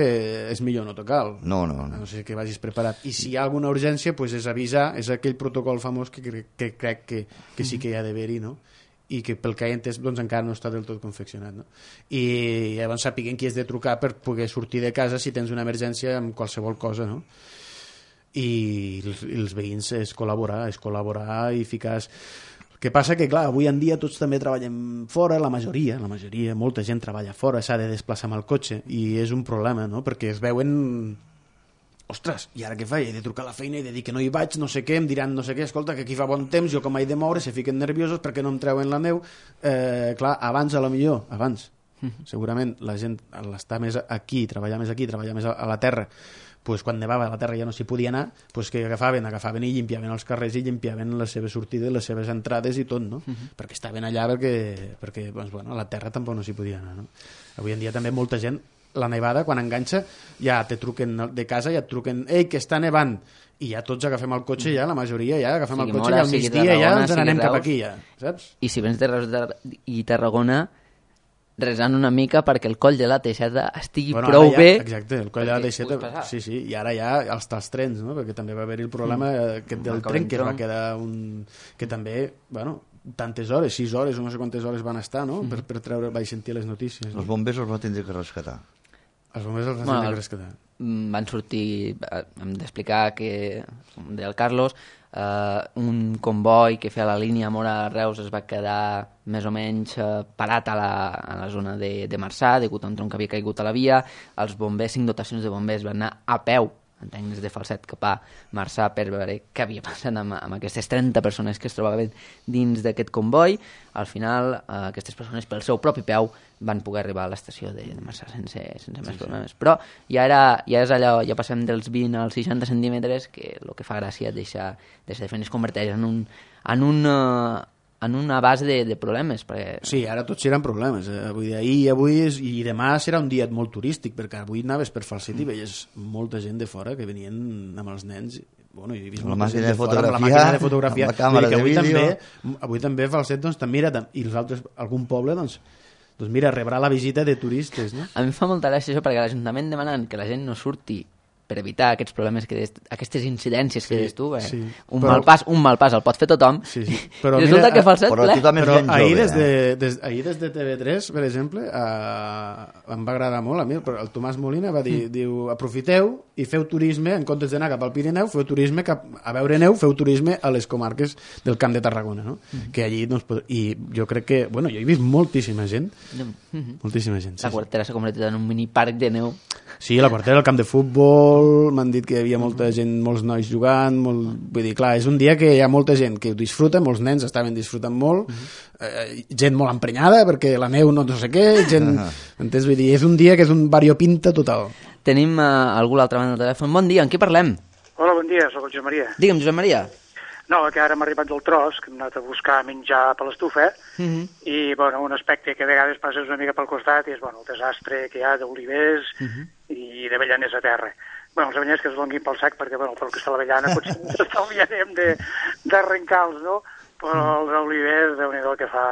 [SPEAKER 2] és millor no tocar-lo.
[SPEAKER 3] No, no, no.
[SPEAKER 2] No sé que vagis preparat. I si hi ha alguna urgència, pues és avisar, és aquell protocol famós que, que, que crec que, que sí que hi ha d'haver-hi, no? I que pel que he entès doncs, encara no està del tot confeccionat, no? I llavors sapiguem qui has de trucar per poder sortir de casa si tens una emergència amb qualsevol cosa, no? I els, els veïns és col·laborar, és col·laborar i ficar... El que passa que, clar, avui en dia tots també treballem fora, la majoria, la majoria, molta gent treballa fora, s'ha de desplaçar amb el cotxe, i és un problema, no?, perquè es veuen... Ostres, i ara què faig? He de trucar a la feina, he de dir que no hi vaig, no sé què, em diran no sé què, escolta, que aquí fa bon temps, jo com he de moure, se fiquen nerviosos perquè no em treuen la neu. Eh, clar, abans a lo millor, abans, segurament la gent al estar més aquí, treballar més aquí, treballar més a, a la terra, pues, quan nevava a la terra ja no s'hi podia anar, pues, que agafaven, agafaven i llimpiaven els carrers i llimpiaven les seves sortides, les seves entrades i tot, no? Uh -huh. Perquè estaven allà perquè, perquè doncs, bueno, a la terra tampoc no s'hi podia anar, no? Avui en dia també molta gent, la nevada, quan enganxa, ja te truquen de casa, ja et truquen, ei, que està nevant, i ja tots agafem el cotxe, ja la majoria ja agafem
[SPEAKER 1] Sigui
[SPEAKER 2] el cotxe
[SPEAKER 1] Móra,
[SPEAKER 2] i al
[SPEAKER 1] sigui
[SPEAKER 2] migdia ja
[SPEAKER 1] Tarragona,
[SPEAKER 2] ens
[SPEAKER 1] sigui
[SPEAKER 2] n'anem cap
[SPEAKER 1] Reus.
[SPEAKER 2] aquí ja, saps?
[SPEAKER 1] I si vens de Reus de- i Tarragona, resant una mica perquè el coll de la Teixeta estigui
[SPEAKER 2] Bueno,
[SPEAKER 1] prou
[SPEAKER 2] ara ja,
[SPEAKER 1] bé.
[SPEAKER 2] exacte, el coll de la
[SPEAKER 1] perquè
[SPEAKER 2] Teixeta,
[SPEAKER 1] puguis passar.
[SPEAKER 2] sí, sí, i ara ja els, els trens, no? Perquè també va haver-hi el problema mm. aquest del
[SPEAKER 1] El
[SPEAKER 2] tren, que es va
[SPEAKER 1] Calentron.
[SPEAKER 2] quedar un... que també, bueno, tantes hores, sis hores o no sé quantes hores van estar, no?
[SPEAKER 1] Mm.
[SPEAKER 2] Per, per treure, vaig sentir les notícies.
[SPEAKER 3] Els
[SPEAKER 2] No?
[SPEAKER 3] bombers els va tindre que rescatar.
[SPEAKER 2] Els bombers els van
[SPEAKER 1] Bueno,
[SPEAKER 2] bueno,
[SPEAKER 1] el-
[SPEAKER 2] que rescatar.
[SPEAKER 1] Mm, van sortir, eh, hem d'explicar que, com deia el Carlos, eh, un comboi que feia la línia Móra-Reus es va quedar més o menys eh, parat a la, a la zona de, de Marçà, degut a un tronc que havia caigut a la via. Els bombers, cinc dotacions de bombers, van anar a peu entenc des de Falset cap a Marçà per veure què havia passat amb, amb aquestes trenta persones que es trobaven dins d'aquest comboi. Al final, eh, aquestes persones pel seu propi peu van poder arribar a l'estació de, de Marçà sense, sense més problemes. Però ja, era, ja és allò, ja passem dels vint als seixanta centímetres, que el que fa gràcia és deixar, deixar de fer, es converteix en un, en un, uh, en una base de, de problemes. Perquè...
[SPEAKER 2] Sí, ara tots seran problemes. Eh? Avui d'ahir i avui és, i demà serà un dia molt turístic, perquè avui anaves per Falset i veies molta gent de fora que venien amb els nens. Bueno, jo he vist
[SPEAKER 3] Amb la
[SPEAKER 2] molta
[SPEAKER 3] màquina
[SPEAKER 2] gent
[SPEAKER 3] de
[SPEAKER 2] fora, amb la
[SPEAKER 3] fotografiar,
[SPEAKER 2] màquina de fotografiar.
[SPEAKER 3] amb la càmera
[SPEAKER 2] Vull dir que avui
[SPEAKER 3] de vídeo.
[SPEAKER 2] també, avui també Falset doncs, també mira, i els altres, algun poble doncs, doncs mira, rebrà la visita de turistes, no?
[SPEAKER 1] A mi em fa molta gràcia això, perquè l'Ajuntament demanant que la gent no surti per evitar aquests problemes, que des, aquestes incidències que
[SPEAKER 2] Sí,
[SPEAKER 1] des tu, eh?
[SPEAKER 2] sí.
[SPEAKER 1] un,
[SPEAKER 2] Però-
[SPEAKER 1] mal pas, un mal pas el pot fer tothom,
[SPEAKER 2] Sí, sí. Però
[SPEAKER 1] i resulta
[SPEAKER 2] mira,
[SPEAKER 1] que Falset
[SPEAKER 3] però
[SPEAKER 1] ple.
[SPEAKER 3] tothom és
[SPEAKER 2] Però
[SPEAKER 3] gent
[SPEAKER 2] ahir,
[SPEAKER 3] jove,
[SPEAKER 2] des de,
[SPEAKER 3] eh?
[SPEAKER 2] des, ahir des de T V tres, per exemple, eh, em va agradar molt a mi, però el Tomàs Molina va dir, mm. diu, aprofiteu i feu turisme, en comptes d'anar cap al Pirineu, feu turisme cap a veure neu, feu turisme a les comarques del Camp de Tarragona, no? Mm. Que allí, doncs, pod- i jo crec que, bueno, jo he vist moltíssima gent,
[SPEAKER 1] Mhm.
[SPEAKER 2] moltíssima gent. Sí,
[SPEAKER 1] La quartera s'ha convertit en un miniparc de neu.
[SPEAKER 2] sí, la quartera, el camp de futbol, m'han dit que hi havia molta gent, molts nois jugant, molt... vull dir, clar, és un dia que hi ha molta gent que ho disfruta, molts nens estaven disfrutant molt, eh, gent molt emprenyada perquè la neu no, no sé què, gent... Entens? Vull dir, és un dia que és un variopinta total.
[SPEAKER 1] Tenim uh, algú a l'altra banda del telèfon. Bon dia, amb qui parlem?
[SPEAKER 6] Hola, bon dia, sóc el Josep Maria.
[SPEAKER 1] Digue'm, Josep Maria.
[SPEAKER 6] No, que ara m'ha arribat del tros, que hem anat a buscar menjar per l'estufa,
[SPEAKER 1] Mm -hmm.
[SPEAKER 6] i, bueno, un aspecte que a vegades passes una mica pel costat és, bueno, el desastre que hi ha d'olivers
[SPEAKER 1] Mm -hmm.
[SPEAKER 6] i d'avellaners a terra. Bueno, els avellaners que es donguin pel sac, perquè, bueno, pel que està l'avellana potser ens estalviarem de- d'arrencar-los, no? Però els olivers, déu-n'hi-do que fa...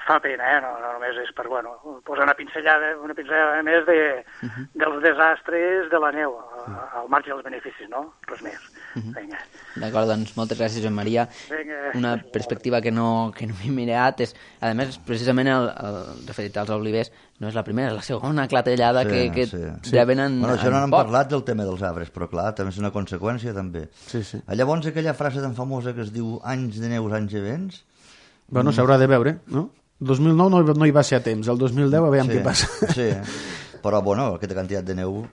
[SPEAKER 6] fa pena, eh? No, no només és per, bueno, posar una pinzellada, una pinzellada més de, dels desastres de la neu, a- al marge dels beneficis, no? Res més. Vinga.
[SPEAKER 1] D'acord, doncs moltes gràcies, Josep Maria.
[SPEAKER 6] Vinga.
[SPEAKER 1] Una perspectiva que no, que no m'he mirat és, a més, precisament el, el referit als olivers no és la primera, és la segona clatellada
[SPEAKER 3] Sí,
[SPEAKER 1] que, que
[SPEAKER 3] sí.
[SPEAKER 1] reben en,
[SPEAKER 3] Bueno, això
[SPEAKER 1] en
[SPEAKER 3] no n'hem
[SPEAKER 1] poc.
[SPEAKER 3] parlat del tema dels arbres, però clar, també és una conseqüència, també.
[SPEAKER 2] Sí, sí.
[SPEAKER 3] Llavors, aquella frase tan famosa que es diu anys de neus, anys de vents,
[SPEAKER 2] Bueno, s'haurà de veure, no? El dos mil nou no, no hi va ser a temps, el dos mil deu a veure
[SPEAKER 3] sí,
[SPEAKER 2] què passa.
[SPEAKER 3] sí, però bueno, aquesta quantitat de neu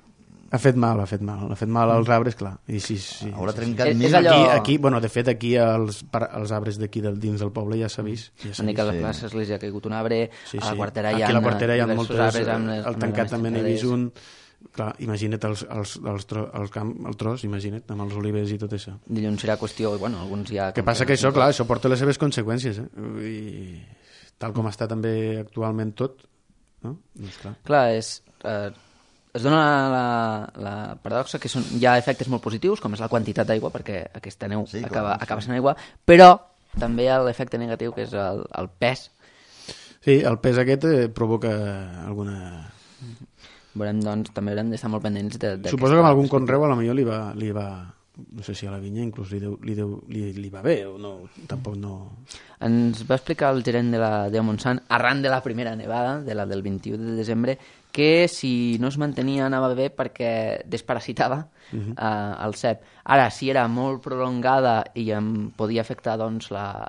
[SPEAKER 2] Ha fet mal, ha fet mal, ha fet mal als arbres, clar. I sí, sí,
[SPEAKER 3] haurà
[SPEAKER 2] sí,
[SPEAKER 3] trencat
[SPEAKER 1] És-
[SPEAKER 3] mil...
[SPEAKER 1] és allò-
[SPEAKER 2] Aquí, aquí, bueno, de fet, aquí els, par- els arbres d'aquí del, dins del poble ja s'ha vist. Ja s'ha
[SPEAKER 1] Una mica a
[SPEAKER 2] vist.
[SPEAKER 1] les
[SPEAKER 3] sí.
[SPEAKER 1] places li ha caigut un arbre,
[SPEAKER 2] Sí,
[SPEAKER 1] a
[SPEAKER 2] sí.
[SPEAKER 1] la quartera hi
[SPEAKER 2] Aquí
[SPEAKER 1] ha
[SPEAKER 2] a la quartera hi ha
[SPEAKER 1] diversos
[SPEAKER 2] moltes...
[SPEAKER 1] arbres amb,
[SPEAKER 2] el
[SPEAKER 1] amb
[SPEAKER 2] tancat
[SPEAKER 1] les
[SPEAKER 2] també n'he
[SPEAKER 1] tancades.
[SPEAKER 2] vist un... Clar, imagina't els, els, els tro, el, camp, el tros, imagina't, amb els olivers i tot això.
[SPEAKER 1] Dilluns serà qüestió, bueno, alguns ja...
[SPEAKER 2] El que passa que això, clar, això porta les seves conseqüències, eh? I tal com està també actualment tot, no? Doncs clar.
[SPEAKER 1] Clar, és, eh, es dona la, la paradoxa que són, hi ha efectes molt positius, com és la quantitat d'aigua, perquè aquesta neu
[SPEAKER 3] Sí, clar,
[SPEAKER 1] acaba,
[SPEAKER 3] sí.
[SPEAKER 1] acaba sent aigua, però també hi ha l'efecte negatiu, que és el, el pes.
[SPEAKER 2] Sí, el pes aquest eh, provoca alguna...
[SPEAKER 1] Veurem, doncs, també haurem d'estar molt pendents de, de
[SPEAKER 2] Suposo que amb algun conreu a la millor li va, li va... No sé si a la vinya inclús li, deu, li, deu, li, li va bé o no, tampoc no...
[SPEAKER 1] Ens va explicar el gerent de la Deu Montsant, arran de la primera nevada, de la del vint-i-u de desembre, que si no es mantenia anava bé perquè desparasitava uh -huh. eh, el cep. Ara, si era molt prolongada i em podia afectar doncs, la,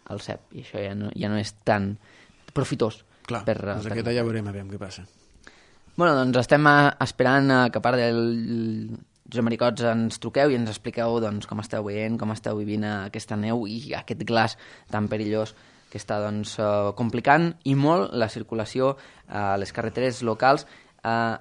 [SPEAKER 1] el cep, i això ja no, ja no és tan profitós.
[SPEAKER 2] Clar,
[SPEAKER 1] per,
[SPEAKER 2] doncs
[SPEAKER 1] per
[SPEAKER 2] aquesta ja veurem a veure què passa.
[SPEAKER 1] Bueno, doncs estem a, esperant a que a part del Josep Maricots ens truqueu i ens expliqueu doncs, com esteu veient, com esteu vivint aquesta neu i aquest glaç tan perillós que està doncs, uh, complicant i molt la circulació a les carreteres locals. Uh,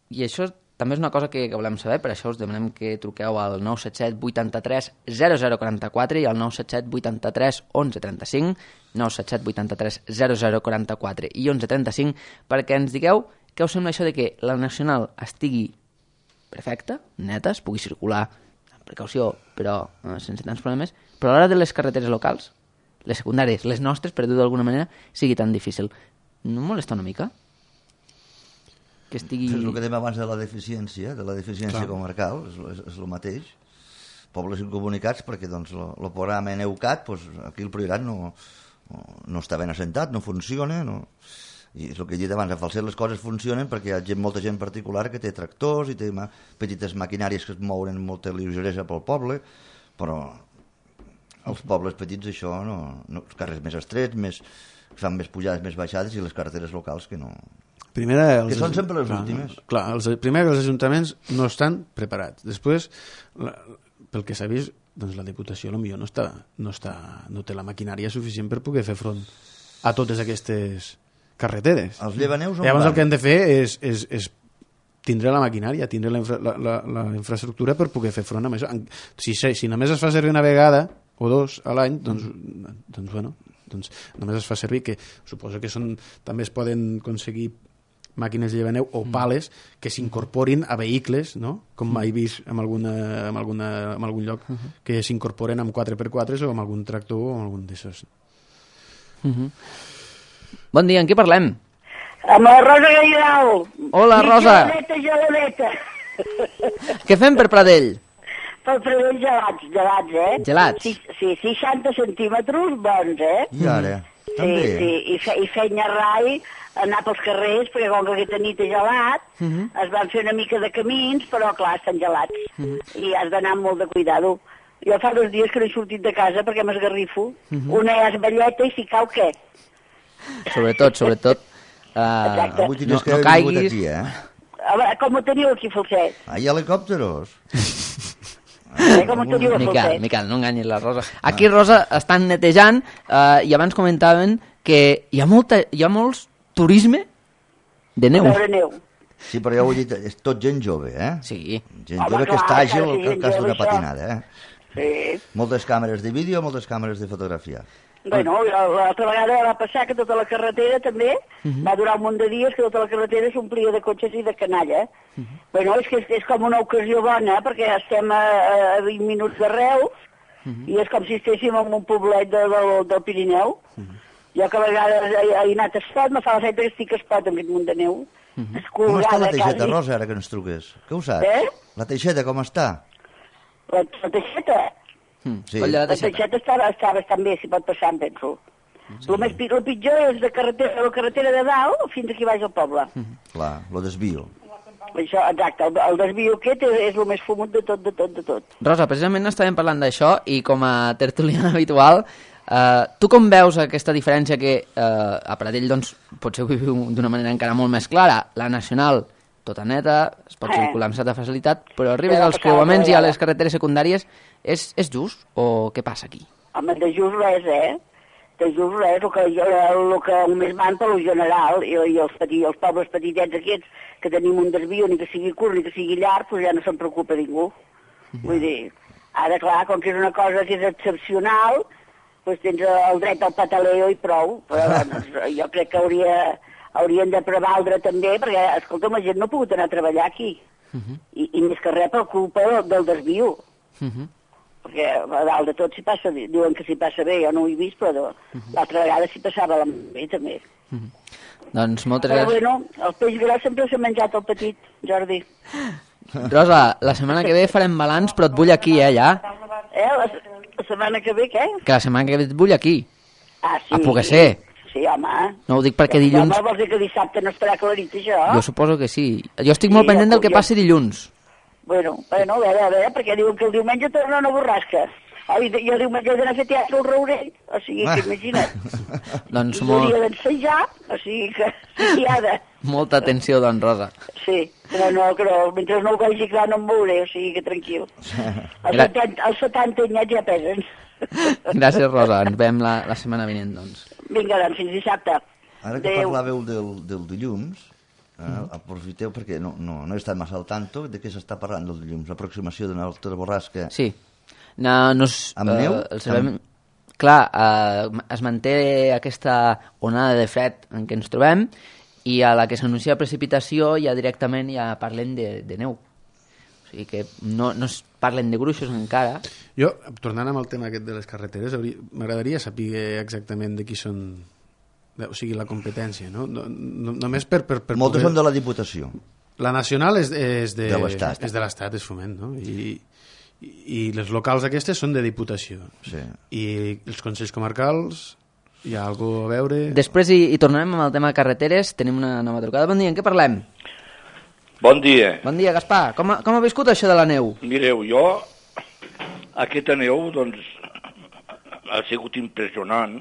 [SPEAKER 1] I això també és una cosa que, que volem saber, per això us demanem que truqueu al nou set set vuitanta-tres zero zero quaranta-quatre i al nou set set vuitanta-tres onze trenta-cinc, nou set set vuitanta-tres zero zero quaranta-quatre i onze trenta-cinc, perquè ens digueu què us sembla això de que la Nacional estigui perfecta, neta, es pugui circular amb precaució, però eh, sense tants problemes, però a l'hora de les carreteres locals, les secundàries, les nostres, per dir-ho d'alguna manera, sigui tan difícil. No molesta una mica? Que estigui...
[SPEAKER 3] És el que dèiem abans de la deficiència, de la deficiència
[SPEAKER 2] Clar.
[SPEAKER 3] comarcal, és, és, és el mateix. Pobles incomunicats, perquè doncs, el programa EUCAT, doncs, aquí el Priorat no, no, no està ben assentat, no funciona, no... i és el que he dit abans, a Falset les coses funcionen perquè hi ha gent, molta gent particular que té tractors i té ma petites maquinàries que es mouen amb molta lleugeresa pel poble, però als pobles petits això no, no, els carrers més estrets, més, fan més pujades, més baixades, i les carreteres locals que no...
[SPEAKER 2] Primera, els,
[SPEAKER 3] que són sempre les
[SPEAKER 2] clar,
[SPEAKER 3] últimes.
[SPEAKER 2] Clar, els, primer els ajuntaments no estan preparats. Després, la, pel que s'ha vist, doncs la Diputació potser no, està, no, està, no té la maquinària suficient per poder fer front a totes aquestes carreteres.
[SPEAKER 3] Els llevaneus on
[SPEAKER 2] Llavors
[SPEAKER 3] van?
[SPEAKER 2] el que hem de fer és, és, és tindre la maquinària, tindre la, infra, la, la, la infraestructura per poder fer front a això. Si, si només es fa servir una vegada o dos a l'any, doncs, doncs, bueno, doncs només es fa servir, que suposo que són, també es poden aconseguir màquines de llevaneu o pales que s'incorporin a vehicles, no? Com he vist en, alguna, en, alguna, en algun lloc, que s'incorporen amb quatre per quatre o amb algun tractor o amb algun d'aixòs.
[SPEAKER 1] Uh-huh. Bon dia, en què parlem?
[SPEAKER 7] Amb la Rosa Gairal.
[SPEAKER 1] Hola, Rosa.
[SPEAKER 7] Geladeta, geladeta.
[SPEAKER 1] Què fem per Pradell?
[SPEAKER 7] Per Pradell gelats, gelats, eh?
[SPEAKER 1] Gelats?
[SPEAKER 7] Sí, sí, seixanta centímetres bons, eh?
[SPEAKER 3] I ara?
[SPEAKER 7] Sí,
[SPEAKER 3] També?
[SPEAKER 7] sí, i, fe, i feina rai, anar pels carrers, perquè com que aquesta nit és gelat, uh -huh. es van fer una mica de camins, però clar, estan gelats. Uh -huh. I has d'anar amb molt de cuidado. Jo fa dos dies que no he sortit de casa perquè m'esgarrifo. Uh -huh. Una és velleta i si cau, què?
[SPEAKER 1] Sobretot, sobretot... Uh,
[SPEAKER 3] Avui tenies
[SPEAKER 1] no,
[SPEAKER 3] que
[SPEAKER 1] no
[SPEAKER 3] haver
[SPEAKER 1] caiguis...
[SPEAKER 3] vingut aquí, eh?
[SPEAKER 7] A veure, com ho teniu aquí, Falset?
[SPEAKER 3] Ah, hi ha helicòpteros.
[SPEAKER 7] Eh, com ho teniu a
[SPEAKER 1] Miquel,
[SPEAKER 7] Falset?
[SPEAKER 1] Miquel, no enganyis la Rosa. Aquí, Rosa, estan netejant uh, i abans comentaven que hi ha, molta, hi ha molts turisme de neu.
[SPEAKER 7] A veure neu.
[SPEAKER 3] Sí, però ja ho he dit, és tot gent jove, eh?
[SPEAKER 1] Sí.
[SPEAKER 3] Gent
[SPEAKER 7] Home,
[SPEAKER 3] jove que
[SPEAKER 7] clar,
[SPEAKER 3] està àgil
[SPEAKER 7] clar, sí,
[SPEAKER 3] que el cas
[SPEAKER 7] gent
[SPEAKER 3] d'una
[SPEAKER 7] jove,
[SPEAKER 3] patinada, eh?
[SPEAKER 7] Sí.
[SPEAKER 3] Moltes càmeres de vídeo, moltes càmeres de fotografia.
[SPEAKER 7] Bueno, l'altra vegada va passar que tota la carretera també, uh -huh. va durar un munt de dies que tota la carretera s'omplia de cotxes i de canalla. Uh -huh. Bueno, és que és, és com una ocasió bona, perquè estem a, a vint minuts de Reus, uh -huh. i és com si estéssim en un poblet de, del, del Pirineu. Uh -huh. Jo que a vegades he, he anat a Espot, me fa l'efecte que estic a Espot amb aquest munt de neu. Uh -huh.
[SPEAKER 3] Com està la Teixeta,
[SPEAKER 7] quasi.
[SPEAKER 3] Rosa, ara que ens truques? Què ho saps?
[SPEAKER 7] Eh?
[SPEAKER 3] La Teixeta, com està?
[SPEAKER 7] La, la Teixeta?
[SPEAKER 1] Mm.
[SPEAKER 3] Sí.
[SPEAKER 1] Coll de la
[SPEAKER 7] La
[SPEAKER 1] Teixeta.
[SPEAKER 7] Teixeta està, està bastant bé, si pot passar, em penso. Sí. El, més, el pitjor és de carretera, la carretera de dalt fins aquí baix al poble.
[SPEAKER 3] Mm. Clar, lo desvio.
[SPEAKER 7] Això, exacte, el, el desvio aquest és, és el més fumut de tot, de tot, de tot.
[SPEAKER 1] Rosa, precisament estàvem parlant d'això i com a tertuliana habitual, eh, tu com veus aquesta diferència que eh, a Pradell doncs, potser ho viviu d'una manera encara molt més clara? La nacional, tota neta, es pot
[SPEAKER 7] Eh.
[SPEAKER 1] circular amb certa facilitat, però arribes
[SPEAKER 7] Ja va
[SPEAKER 1] als
[SPEAKER 7] passar
[SPEAKER 1] creuaments i a
[SPEAKER 7] l'altra
[SPEAKER 1] les carreteres secundàries, és, és just o què passa aquí?
[SPEAKER 7] Home, de just res, eh? De just res, el que, el que només van per lo general, i, i els, petits, els pobles petitets aquests, que tenim un desvio, ni que sigui curt ni que sigui llarg, doncs ja no se'n preocupa ningú. Mm. Vull dir, ara, clar, com que és una cosa que és excepcional, doncs tens el dret al pataleo i prou, però doncs, jo crec que hauria, haurien de prevaldre també, perquè, escolta'm, la gent no ha pogut anar a treballar aquí, uh -huh. I, i més que res per culpa del, del desvio. Uh -huh. Perquè a dalt de tot s'hi passa, diuen que s'hi passa bé, jo no ho he vist, però uh -huh. l'altra vegada s'hi passava la bé també.
[SPEAKER 1] Uh -huh. Doncs moltes
[SPEAKER 7] Però
[SPEAKER 1] gràcies.
[SPEAKER 7] bueno, el peix gros sempre s'ha menjat el petit, Jordi.
[SPEAKER 1] Rosa, la setmana que ve farem balanç, però et vull aquí, eh, ja.
[SPEAKER 7] Eh, la, la setmana que ve, què?
[SPEAKER 1] Que la setmana que ve et vull aquí.
[SPEAKER 7] Ah, sí.
[SPEAKER 1] A poder ser.
[SPEAKER 7] Sí, home.
[SPEAKER 1] No ho dic perquè dilluns...
[SPEAKER 7] Home, vols dir que dissabte no estarà clarit, això?
[SPEAKER 1] Jo suposo que sí. Jo estic molt
[SPEAKER 7] Sí,
[SPEAKER 1] pendent
[SPEAKER 7] ja
[SPEAKER 1] del que
[SPEAKER 7] puc, ja.
[SPEAKER 1] passi dilluns.
[SPEAKER 7] Bueno, bueno, a veure, a veure, perquè diuen que el diumenge tornen a borrasca. Oh, i jo diumenge he d'anar a fer teatre al Raurell, o sigui que imagina't.
[SPEAKER 1] Doncs
[SPEAKER 7] I
[SPEAKER 1] molt,
[SPEAKER 7] hauria d'ensejar, o sigui que sí, ha de...
[SPEAKER 1] molta atenció, doncs, Rosa.
[SPEAKER 7] Sí, però no, però mentre no ho vegi clar no em veuré, o sigui que tranquil. Els
[SPEAKER 1] Gra-
[SPEAKER 7] setanta, els setanta anyats ja pesen.
[SPEAKER 1] Gràcies, Rosa. Ens veiem la, la setmana vinent, doncs.
[SPEAKER 7] Vinga, doncs, fins dissabte.
[SPEAKER 3] Ara que
[SPEAKER 7] Adéu.
[SPEAKER 3] parlàveu del, del dilluns, eh, aprofiteu perquè no, no, no he estat massa al tanto de què s'està parlant del dilluns, l'aproximació d'una altra borrasca.
[SPEAKER 1] Sí. No, no es,
[SPEAKER 3] Amb neu?
[SPEAKER 1] Eh, el sabem... Clar, eh, es manté aquesta onada de fred en què ens trobem i a la que s'anuncia precipitació ja directament ja parlem de, de neu. O sigui que no, no es parlen de gruixos encara.
[SPEAKER 2] Jo, tornant amb el tema aquest de les carreteres, m'agradaria saber exactament de qui són, o sigui, la competència, no? no, no només per, per, per
[SPEAKER 3] Moltes
[SPEAKER 2] poder...
[SPEAKER 3] són de la Diputació.
[SPEAKER 2] La nacional és, és de,
[SPEAKER 3] de l'Estat.
[SPEAKER 2] És de l'Estat, és Foment, no? I, i les locals aquestes són de Diputació.
[SPEAKER 3] Sí.
[SPEAKER 2] I els consells comarcals, hi ha alguna a veure...
[SPEAKER 1] Després hi, hi tornarem amb el tema de carreteres, tenim una nova trucada. Bon dia, en què parlem?
[SPEAKER 8] Bon dia.
[SPEAKER 1] Bon dia, Gaspar. Com ha, com ha viscut això de la neu?
[SPEAKER 8] Mireu, jo, aquesta neu, doncs, ha sigut impressionant,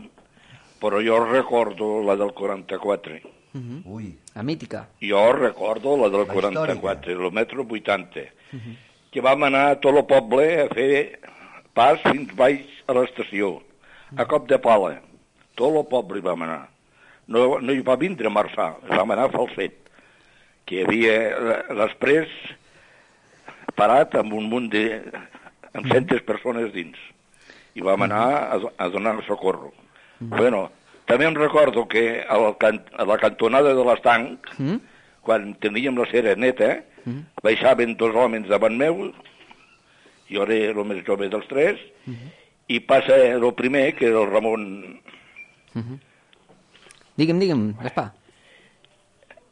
[SPEAKER 8] però jo recordo la del quaranta-quatre.
[SPEAKER 1] Uh-huh.
[SPEAKER 3] Ui.
[SPEAKER 1] La mítica.
[SPEAKER 8] Jo recordo la del
[SPEAKER 3] La
[SPEAKER 8] quaranta-quatre, el metro vuitanta, uh-huh. que vam anar a tot el poble a fer pas fins baix a l'estació, a cop de pala. Tot el poble hi vam anar. No, no hi va vindre a Marçà, vam anar a Falset, que hi havia l'exprés parat amb un munt de... amb centes persones dins. I vam anar a, a donar socorro. Mm. Bueno, també em recordo que al can, a la cantonada de l'estanc, mm. quan teníem la cera neta, mm. baixaven dos homes davant meu, jo era el més jove dels tres, mm. i passa el primer, que era el Ramon...
[SPEAKER 1] Mm-hmm. Digue'm, digue'm, Gaspar.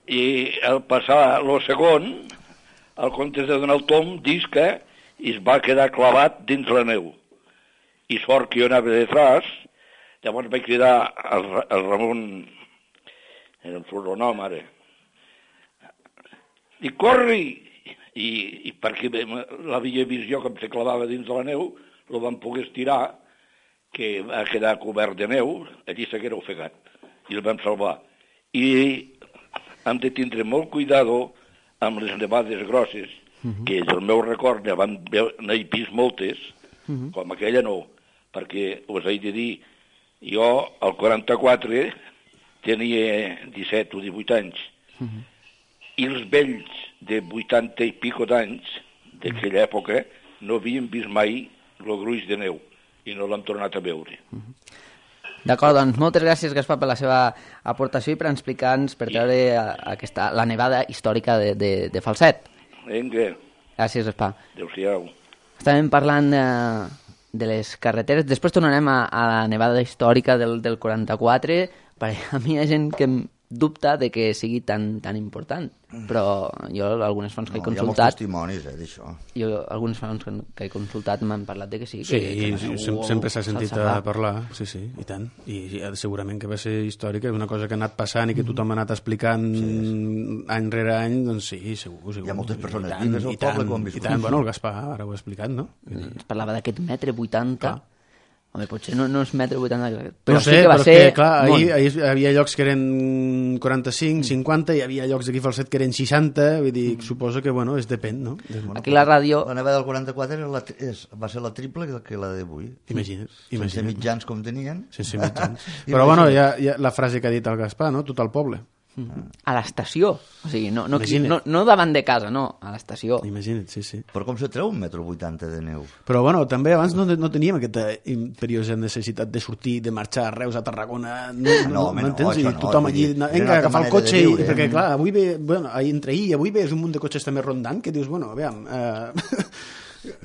[SPEAKER 8] I al passar el segon, el comptes de donar el tom, disca, i es va quedar clavat dins la neu. I sort que jo anava detrás, llavors vaig cridar al, al Ramon, era el sobrenom ara, i corri! I, i perquè l'havia vist jo que em se clavava dins de la neu, el vam poder estirar, que va quedar cobert de neu, allí s'haguera ofegat, i el vam salvar. I hem de tindre molt cuidado amb les nevades grosses, uh-huh. que del meu record ja vam n'he vist moltes, uh-huh. com aquella no, perquè us he de dir, jo al quaranta-quatre tenia disset o divuit anys, uh-huh. i els vells de vuitanta i pico d'anys d'aquella època no havien vist mai el gruix de neu i no l'hem tornat a veure.
[SPEAKER 1] Uh-huh. D'acord, doncs moltes gràcies, Gaspar, per la seva aportació i per explicar-nos, per treure aquesta, la nevada històrica de, de, de Falset.
[SPEAKER 8] Vinga.
[SPEAKER 1] Gràcies, Gaspar.
[SPEAKER 8] Adéu-siau.
[SPEAKER 1] Estàvem parlant de, de les carreteres, després tornarem a, a la nevada històrica del, del quaranta-quatre, perquè a mi hi ha gent que em dubta de que sigui tan, tan important, però jo algunes fonts que he
[SPEAKER 3] No, hi ha molts
[SPEAKER 1] consultat
[SPEAKER 3] testimonis, eh, d'això.
[SPEAKER 1] jo algunes fonts que, que he consultat m'han parlat de que sí,
[SPEAKER 2] Sí,
[SPEAKER 1] que, que
[SPEAKER 2] i
[SPEAKER 1] la neu
[SPEAKER 2] sem sempre s'ha sentit a
[SPEAKER 1] s'alçava.
[SPEAKER 2] parlar, sí, sí, i tant. I ja, segurament que va ser històrica, és una cosa que ha anat passant i que tothom ha anat explicant sí, sí. any rere any, doncs sí, segur, segur.
[SPEAKER 3] Hi ha moltes persones
[SPEAKER 2] I tant,
[SPEAKER 3] vives al
[SPEAKER 2] i tant,
[SPEAKER 3] poble que ho han viscut.
[SPEAKER 2] I tant, bueno, el Gaspar ara ho ha explicat, no?
[SPEAKER 1] Es parlava d'aquest metre vuitanta.
[SPEAKER 2] Clar.
[SPEAKER 1] Home, potser no, no és metre vuitanta, però
[SPEAKER 2] No sé,
[SPEAKER 1] sí que va
[SPEAKER 2] però
[SPEAKER 1] ser
[SPEAKER 2] que, clar, ahir,
[SPEAKER 1] molt.
[SPEAKER 2] ahir hi havia llocs que eren quaranta-cinc, cinquanta, hi havia llocs d'aquí Falset que eren seixanta, vull dir, suposo que, bueno, es depèn, no?
[SPEAKER 3] Bueno,
[SPEAKER 1] Aquí la ràdio...
[SPEAKER 3] La nevada del quaranta-quatre era la, és, va ser la triple que la d'avui.
[SPEAKER 2] Imagina't,
[SPEAKER 3] Sense
[SPEAKER 2] imagina't.
[SPEAKER 3] mitjans com tenien.
[SPEAKER 2] Sense mitjans. Però, bueno, hi ha, hi ha la frase que ha dit el Gaspar, no? Tot el poble.
[SPEAKER 1] A l'estació, o sigui, no, no,
[SPEAKER 2] Imagina't.
[SPEAKER 1] no, no davant de casa, no, a l'estació.
[SPEAKER 2] Imagina't, sí, sí.
[SPEAKER 3] Però com se treu un metro vuitanta de neu?
[SPEAKER 2] Però, bueno, també abans no, no teníem aquesta imperiosa necessitat de sortir, de marxar a Reus, a Tarragona, no, no,
[SPEAKER 3] No,
[SPEAKER 2] no,
[SPEAKER 3] home,
[SPEAKER 2] no
[SPEAKER 3] no,
[SPEAKER 2] entens?
[SPEAKER 3] això
[SPEAKER 2] I
[SPEAKER 3] no,
[SPEAKER 2] tothom
[SPEAKER 3] vull
[SPEAKER 2] allí,
[SPEAKER 3] dir,
[SPEAKER 2] no,
[SPEAKER 3] era
[SPEAKER 2] vinga,
[SPEAKER 3] una
[SPEAKER 2] agafar el
[SPEAKER 3] manera de
[SPEAKER 2] cotxe, i,
[SPEAKER 3] viure,
[SPEAKER 2] perquè,
[SPEAKER 3] eh?
[SPEAKER 2] clar, avui ve, bueno, entre ahir i avui ve és un munt de cotxes també rondant, que dius, bueno, aviam... Eh...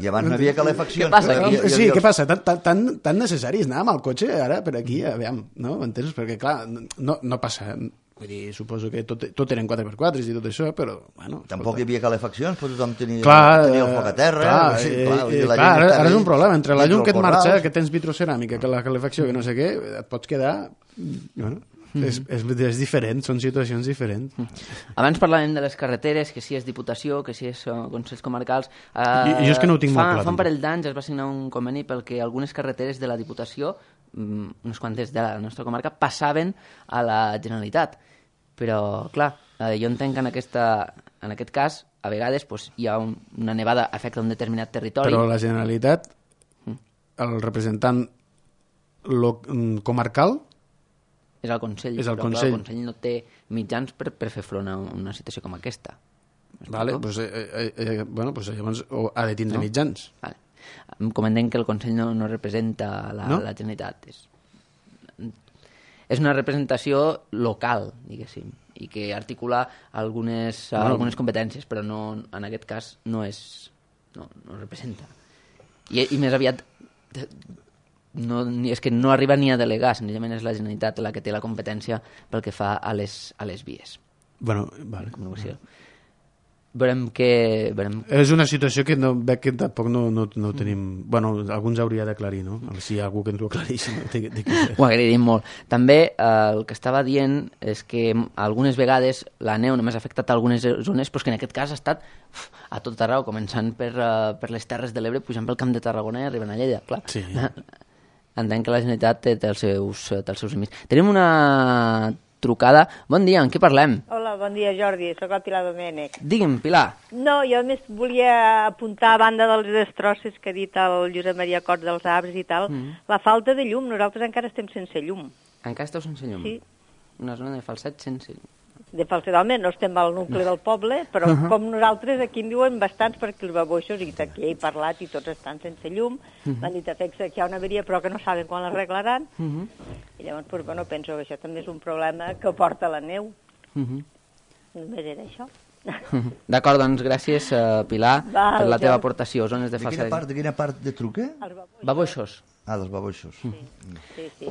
[SPEAKER 3] I abans no havia calefacció.
[SPEAKER 1] Què passa aquí?
[SPEAKER 2] Sí, què passa? Tan, tan, tan, tan necessari és anar amb el cotxe ara per aquí, aviam, no? Entens? Perquè, clar, no, no passa... Vull dir, suposo que tot, tot eren quatre per quatre i tot això, però, bueno...
[SPEAKER 3] Tampoc hi havia calefaccions, però tothom tenia,
[SPEAKER 2] Clar,
[SPEAKER 3] tenia el foc a terra.
[SPEAKER 2] clar,
[SPEAKER 3] sí,
[SPEAKER 2] eh,
[SPEAKER 3] clar,
[SPEAKER 2] eh,
[SPEAKER 3] vull dir, la
[SPEAKER 2] clar,
[SPEAKER 3] gent
[SPEAKER 2] ara,
[SPEAKER 3] estava
[SPEAKER 2] ara és un problema, entre la
[SPEAKER 3] dintre
[SPEAKER 2] llum
[SPEAKER 3] el
[SPEAKER 2] que et marxa,
[SPEAKER 3] corrals.
[SPEAKER 2] que tens vitroceràmica, que la calefacció, que no sé què, et pots quedar... Bueno, mm-hmm. és, és, és diferent, són situacions diferents.
[SPEAKER 1] Abans parlàvem de les carreteres, que si és Diputació, que si és uh, Consells Comarcals. Uh,
[SPEAKER 2] I- i jo és que no ho tinc
[SPEAKER 1] fa,
[SPEAKER 2] molt clar,
[SPEAKER 1] Fa un
[SPEAKER 2] tampoc.
[SPEAKER 1] parell d'anys es va signar un conveni pel que algunes carreteres de la Diputació, um, unes quantes de la nostra comarca, passaven a la Generalitat. Però, clar, eh, jo entenc que en, aquesta, en aquest cas, a vegades pues, hi ha un, una nevada afecta un determinat territori.
[SPEAKER 2] Però la Generalitat, el representant lo, comarcal,
[SPEAKER 1] És el Consell,
[SPEAKER 2] És el
[SPEAKER 1] però
[SPEAKER 2] Consell.
[SPEAKER 1] Clar, el Consell no té mitjans per, per fer front a una situació com aquesta.
[SPEAKER 2] vale, pues, eh, eh, eh, bueno, pues, llavors o ha de tindre
[SPEAKER 1] No?
[SPEAKER 2] mitjans.
[SPEAKER 1] Vale. Com entenc que el Consell no, no representa la,
[SPEAKER 2] No?
[SPEAKER 1] la Generalitat. És, és una representació local, diguéssim, i que articula algunes,
[SPEAKER 2] Bueno.
[SPEAKER 1] algunes competències, però no, en aquest cas no és, no, no representa. I, i més aviat no, és que no arriba ni a delegar, senzillament és la Generalitat la que té la competència pel que fa a les, a les vies.
[SPEAKER 2] Bueno, vale.
[SPEAKER 1] Comunicació. Veurem que... Veurem...
[SPEAKER 2] És una situació que no, veig que tampoc no, no, no tenim... Bueno, alguns hauria d'aclarir, no? Si hi ha algú que ens ho aclarís. No? De, de que...
[SPEAKER 1] Ho agrairíem molt. També eh, el que estava dient és que algunes vegades la neu només ha afectat algunes zones, però que en aquest cas ha estat uf, a tot arreu, començant per, uh, per les Terres de l'Ebre, pujant pel Camp de Tarragona i arribant a Lleida. Clar. Sí. Entenc que la Generalitat té, té, els seus, té els seus límits. Tenim una trucada. Bon dia, en què parlem?
[SPEAKER 9] Hola, bon dia, Jordi, soc el Pilar Domènech.
[SPEAKER 1] Digue'm, Pilar.
[SPEAKER 9] No, jo només volia apuntar, a banda dels destrosses que ha dit el Josep Maria Cort dels arbres i tal, mm. la falta de llum. Nosaltres encara estem sense llum.
[SPEAKER 1] Encara esteu sense llum?
[SPEAKER 9] Sí.
[SPEAKER 1] Una zona de Falset sense llum.
[SPEAKER 9] De Falset, home, no estem al nucli del poble, però uh -huh. com nosaltres aquí en diuen bastants, perquè els baboixos, i aquí he parlat, i tots estan sense llum, uh -huh. m'han dit a Fexa que hi ha una avaria, però que no saben quan l'arreglaran, uh -huh. i llavors, pues, bueno, penso que això també és un problema que porta la neu. Uh -huh. Només era això.
[SPEAKER 1] Uh -huh. D'acord, doncs gràcies, uh, Pilar, Val, per la teva ja. aportació. Zones de,
[SPEAKER 3] de quina part, de quina part de truque?
[SPEAKER 1] Baboixos.
[SPEAKER 3] Ah, dels baboixos.
[SPEAKER 9] Sí, sí, sí.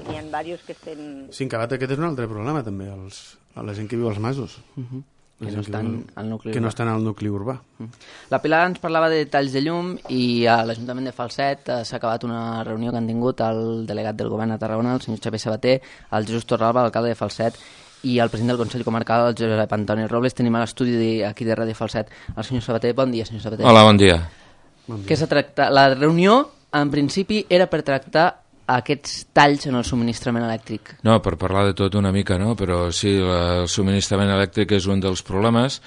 [SPEAKER 9] N'hi ha diversos que estem...
[SPEAKER 2] Sí, en Calat aquest és un altre problema, també, els, a la gent que viu als masos. Uh -huh.
[SPEAKER 1] Que no, estan al nucli
[SPEAKER 2] que no estan al nucli urbà.
[SPEAKER 1] Uh -huh. La Pilar ens parlava de talls de llum i a l'Ajuntament de Falset eh, s'ha acabat una reunió que han tingut el delegat del govern a Tarragona, el senyor Xavier Sabater, el Jesús Torralba, l'alcalde de Falset, i el president del Consell Comarcal, el Josep Antoni Robles. Tenim a l'estudi aquí de Ràdio Falset el senyor Sabater. Bon dia, senyor Sabater.
[SPEAKER 10] Hola, bon dia.
[SPEAKER 2] Bon dia.
[SPEAKER 1] Què s'ha tractat? La reunió, en principi, era per tractar aquests talls en el subministrament elèctric.
[SPEAKER 10] No, per parlar de tot una mica, no? Però sí, el subministrament elèctric és un dels problemes.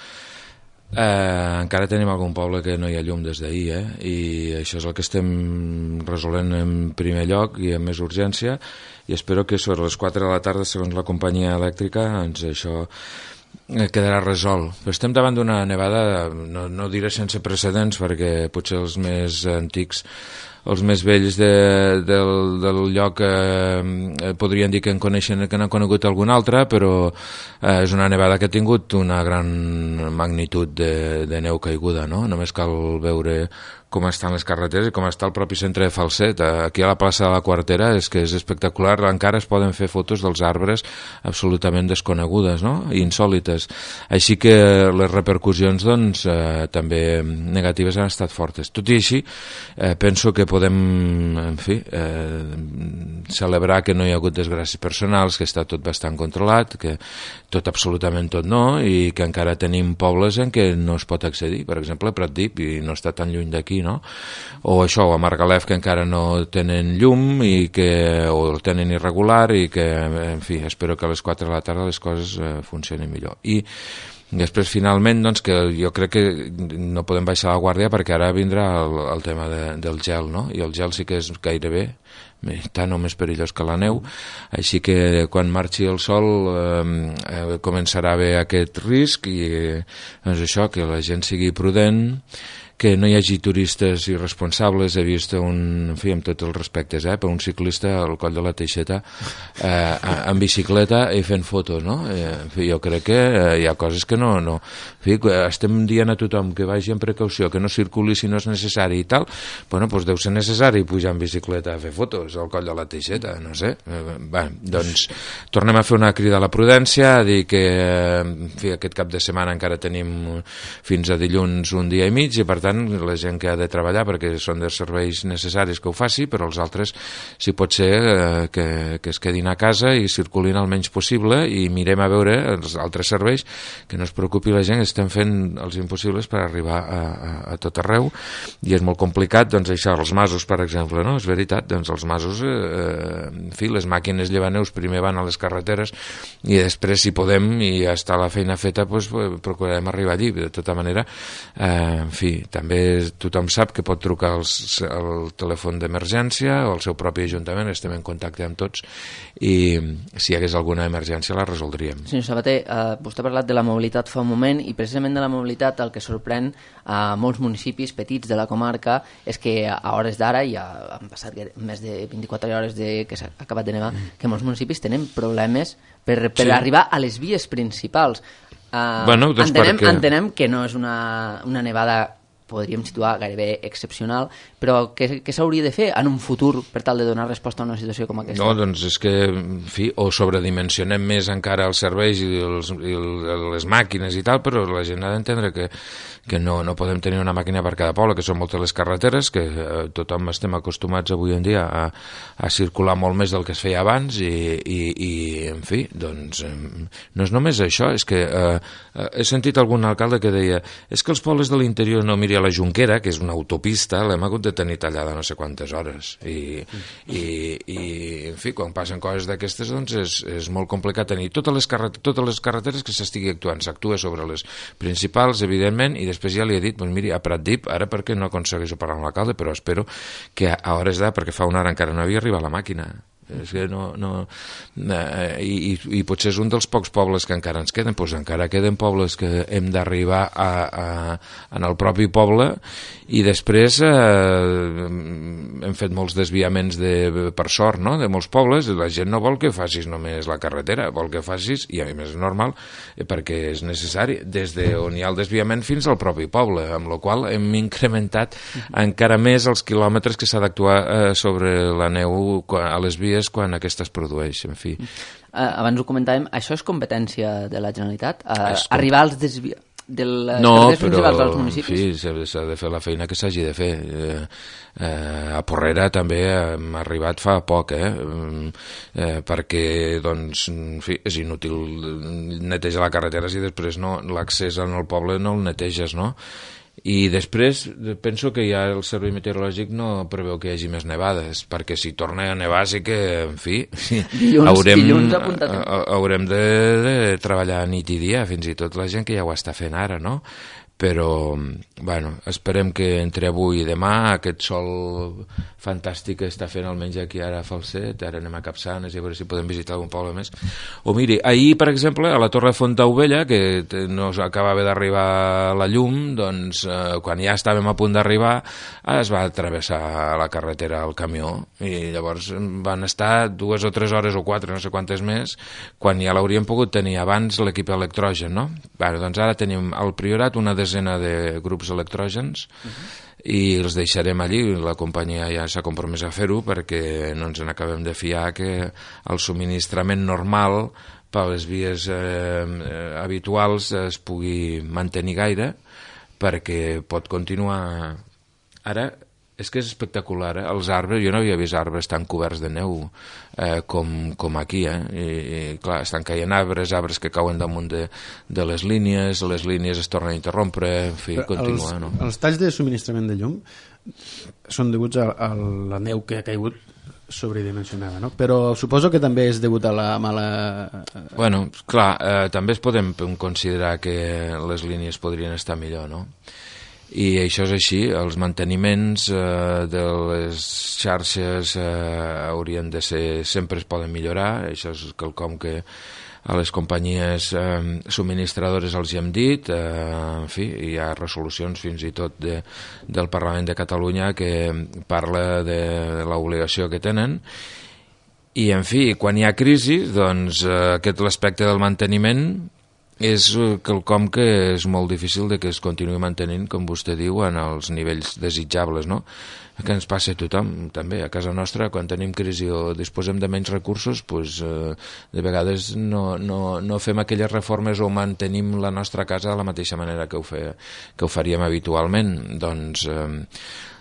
[SPEAKER 10] Eh, encara tenim algun poble que no hi ha llum des d'ahir, eh? I això és el que estem resolent en primer lloc i amb més urgència, i espero que sobre les quatre de la tarda, segons la companyia elèctrica, doncs això quedarà resolt. Però estem davant d'una nevada, no, no diré sense precedents, perquè potser els més antics, els més vells de, del, del lloc eh, podrien dir que en coneixen, que n'han conegut algun altre, però eh, és una nevada que ha tingut una gran magnitud de, de neu caiguda, no? Només cal veure com estan les carreteres i com està el propi centre de Falset. Aquí a la plaça de la Quartera és que és espectacular, encara es poden fer fotos dels arbres absolutament desconegudes, no? I insòlites. Així que les repercussions, doncs, eh, també negatives han estat fortes. Tot i així, eh, penso que podem, en fi, eh, celebrar que no hi ha hagut desgràcies personals, que està tot bastant controlat, que tot, absolutament tot no, i que encara tenim pobles en què no es pot accedir, per exemple, a Pratdip, i no està tan lluny d'aquí, no? O això, o a Margalef, que encara no tenen llum i que, o el tenen irregular, i que, en fi, espero que a les quatre de la tarda les coses eh, funcionin millor. I després, finalment, doncs, que jo crec que no podem baixar la guàrdia, perquè ara vindrà el, el tema de, del gel, no? I el gel sí que és gairebé tant o més perillós que la neu, així que quan marxi el sol eh, eh, començarà a haver aquest risc, i eh, doncs això, que la gent sigui prudent, que no hi hagi turistes irresponsables. He vist un, en fi, amb tots els respectes, eh, per un ciclista al coll de la Teixeta eh, en bicicleta i fent fotos, no? Eh, en fi, jo crec que eh, hi ha coses que no, no... En fi, estem dient a tothom que vagi amb precaució, que no circuli si no és necessari i tal. Bueno, doncs deu ser necessari pujar en bicicleta a fer fotos al coll de la Teixeta, no sé. Eh, bé, doncs tornem a fer una crida a la prudència, a dir que, en fi, aquest cap de setmana encara tenim fins a dilluns un dia i mig, i per tant la gent que ha de treballar, perquè són dels serveis necessaris, que ho faci, però els altres, si pot ser, eh, que, que es quedin a casa i circulin el menys possible, i mirem a veure els altres serveis, que no es preocupi la gent, que estem fent els impossibles per arribar a, a, a tot arreu, i és molt complicat, doncs això, els masos, per exemple, no? És veritat, doncs els masos, eh, en fi, les màquines llevaneus primer van a les carreteres, i després, si podem, i ja està la feina feta, doncs procurarem arribar allí. De tota manera, eh, en fi, també tothom sap que pot trucar als, al telèfon d'emergència o al seu propi ajuntament, estem en contacte amb tots, i si hi hagués alguna emergència la resoldríem.
[SPEAKER 1] Senyor Sabater, eh, vostè ha parlat de la mobilitat fa un moment, i precisament de la mobilitat el que sorprèn a molts municipis petits de la comarca és que a hores d'ara, ja han passat més de vint-i-quatre hores de que s'ha acabat de nevar, que molts municipis tenen problemes per, per sí. arribar a les vies principals. Uh,
[SPEAKER 10] bueno, doncs
[SPEAKER 1] entenem,
[SPEAKER 10] perquè...
[SPEAKER 1] entenem que no és una, una nevada podríem situar gairebé excepcional, però què, què s'hauria de fer en un futur per tal de donar resposta a una situació com aquesta?
[SPEAKER 10] No, doncs és que, en fi, o sobredimensionem més encara els serveis i, els, i les màquines i tal, però la gent ha d'entendre que, que no, no podem tenir una màquina per cada poble, que són moltes les carreteres, que eh, tothom estem acostumats avui en dia a, a circular molt més del que es feia abans i, i, i en fi, doncs eh, no és només això, és que eh, he sentit algun alcalde que deia és que els pobles de l'interior no miri a la Junquera, que és una autopista, l'hem hagut de tenir tallada no sé quantes hores i, i, i en fi, quan passen coses d'aquestes doncs és, és molt complicat tenir totes les, carret totes les carreteres que s'estigui actuant, s'actua sobre les principals, evidentment, i després ja li he dit, doncs miri, a Pratdip, ara perquè no aconsegueixo parlar amb l'alcalde, però espero que a hores d'ara, perquè fa una hora encara no havia arribat la màquina, és que no, no, eh, i, i potser és un dels pocs pobles que encara ens queden, doncs encara queden pobles que hem d'arribar a, a, en el propi poble i després eh, hem fet molts desviaments de, per sort, no?, de molts pobles, la gent no vol que facis només la carretera, vol que facis, i a més és normal, eh, perquè és necessari, des d'on hi ha el desviament fins al propi poble, amb la qual hem incrementat encara més els quilòmetres que s'ha d'actuar eh, sobre la neu a les vies quan aquesta es produeix, en fi.
[SPEAKER 1] Uh, abans ho comentàvem, això és competència de la Generalitat? Uh, arribar als desvi... de les
[SPEAKER 10] no,
[SPEAKER 1] principals dels municipis?
[SPEAKER 10] No, però s'ha de fer la feina que s'hagi de fer. Eh, eh, a Porrera també hem arribat fa poc, eh, eh, perquè, doncs, en fi, és inútil netejar la carretera si després no, l'accés al poble no el neteges, no? I després penso que ja el servei meteorològic no preveu que hi hagi més nevades, perquè si torna a nevar sí que, en fi,
[SPEAKER 1] dilluns,
[SPEAKER 10] haurem,
[SPEAKER 1] dilluns
[SPEAKER 10] haurem de, de treballar nit i dia, fins i tot la gent que ja ho està fent ara, no? Però, bueno, esperem que entre avui i demà aquest sol fantàstic que està fent almenys aquí ara a Falset, ara anem a Capçanes i a veure si podem visitar algun poble més. O miri, ahir, per exemple, a la Torre de Fontaubella, que no acabava d'arribar la llum, doncs eh, quan ja estàvem a punt d'arribar es va travessar la carretera el camió i llavors van estar dues o tres hores o quatre, no sé quantes més, quan ja l'hauríem pogut tenir abans l'equip electrogen, no? Bueno, doncs ara tenim al Priorat una desena de grups electrògens uh-huh. i els deixarem allí, la companyia ja s'ha compromès a fer-ho perquè no ens n'acabem de fiar que el subministrament normal per les vies eh, habituals es pugui mantenir gaire, perquè pot continuar. Ara és que és espectacular, eh? Els arbres, jo no havia vist arbres tan coberts de neu eh, com, com aquí, eh? I, i clar, estan caient arbres, arbres que cauen damunt de, de les línies, les línies es tornen a interrompre, en fi,
[SPEAKER 2] però
[SPEAKER 10] continua,
[SPEAKER 2] els,
[SPEAKER 10] no?
[SPEAKER 2] Els talls de subministrament de llum són deguts a, a la neu que ha caigut sobredimensionada, no? Però suposo que també és degut a la mala...
[SPEAKER 10] Bueno, clar, eh, també es podem considerar que les línies podrien estar millor, no? I això és així, els manteniments eh, de les xarxes eh, haurien de ser, sempre es poden millorar, això és quelcom que a les companyies eh, subministradores els hi hem dit, eh, en fi, hi ha resolucions fins i tot de, del Parlament de Catalunya que parla de, de l'obligació que tenen, i en fi, quan hi ha crisi, doncs eh, aquest l'aspecte del manteniment és quelcom que és molt difícil de que es continuï mantenint, com vostè diu, en els nivells desitjables, no? Que ens passa a tothom, també. A casa nostra, quan tenim crisi o disposem de menys recursos, doncs, eh, de vegades no, no, no fem aquelles reformes o mantenim la nostra casa de la mateixa manera que ho, fe, que ho faríem habitualment. Doncs eh,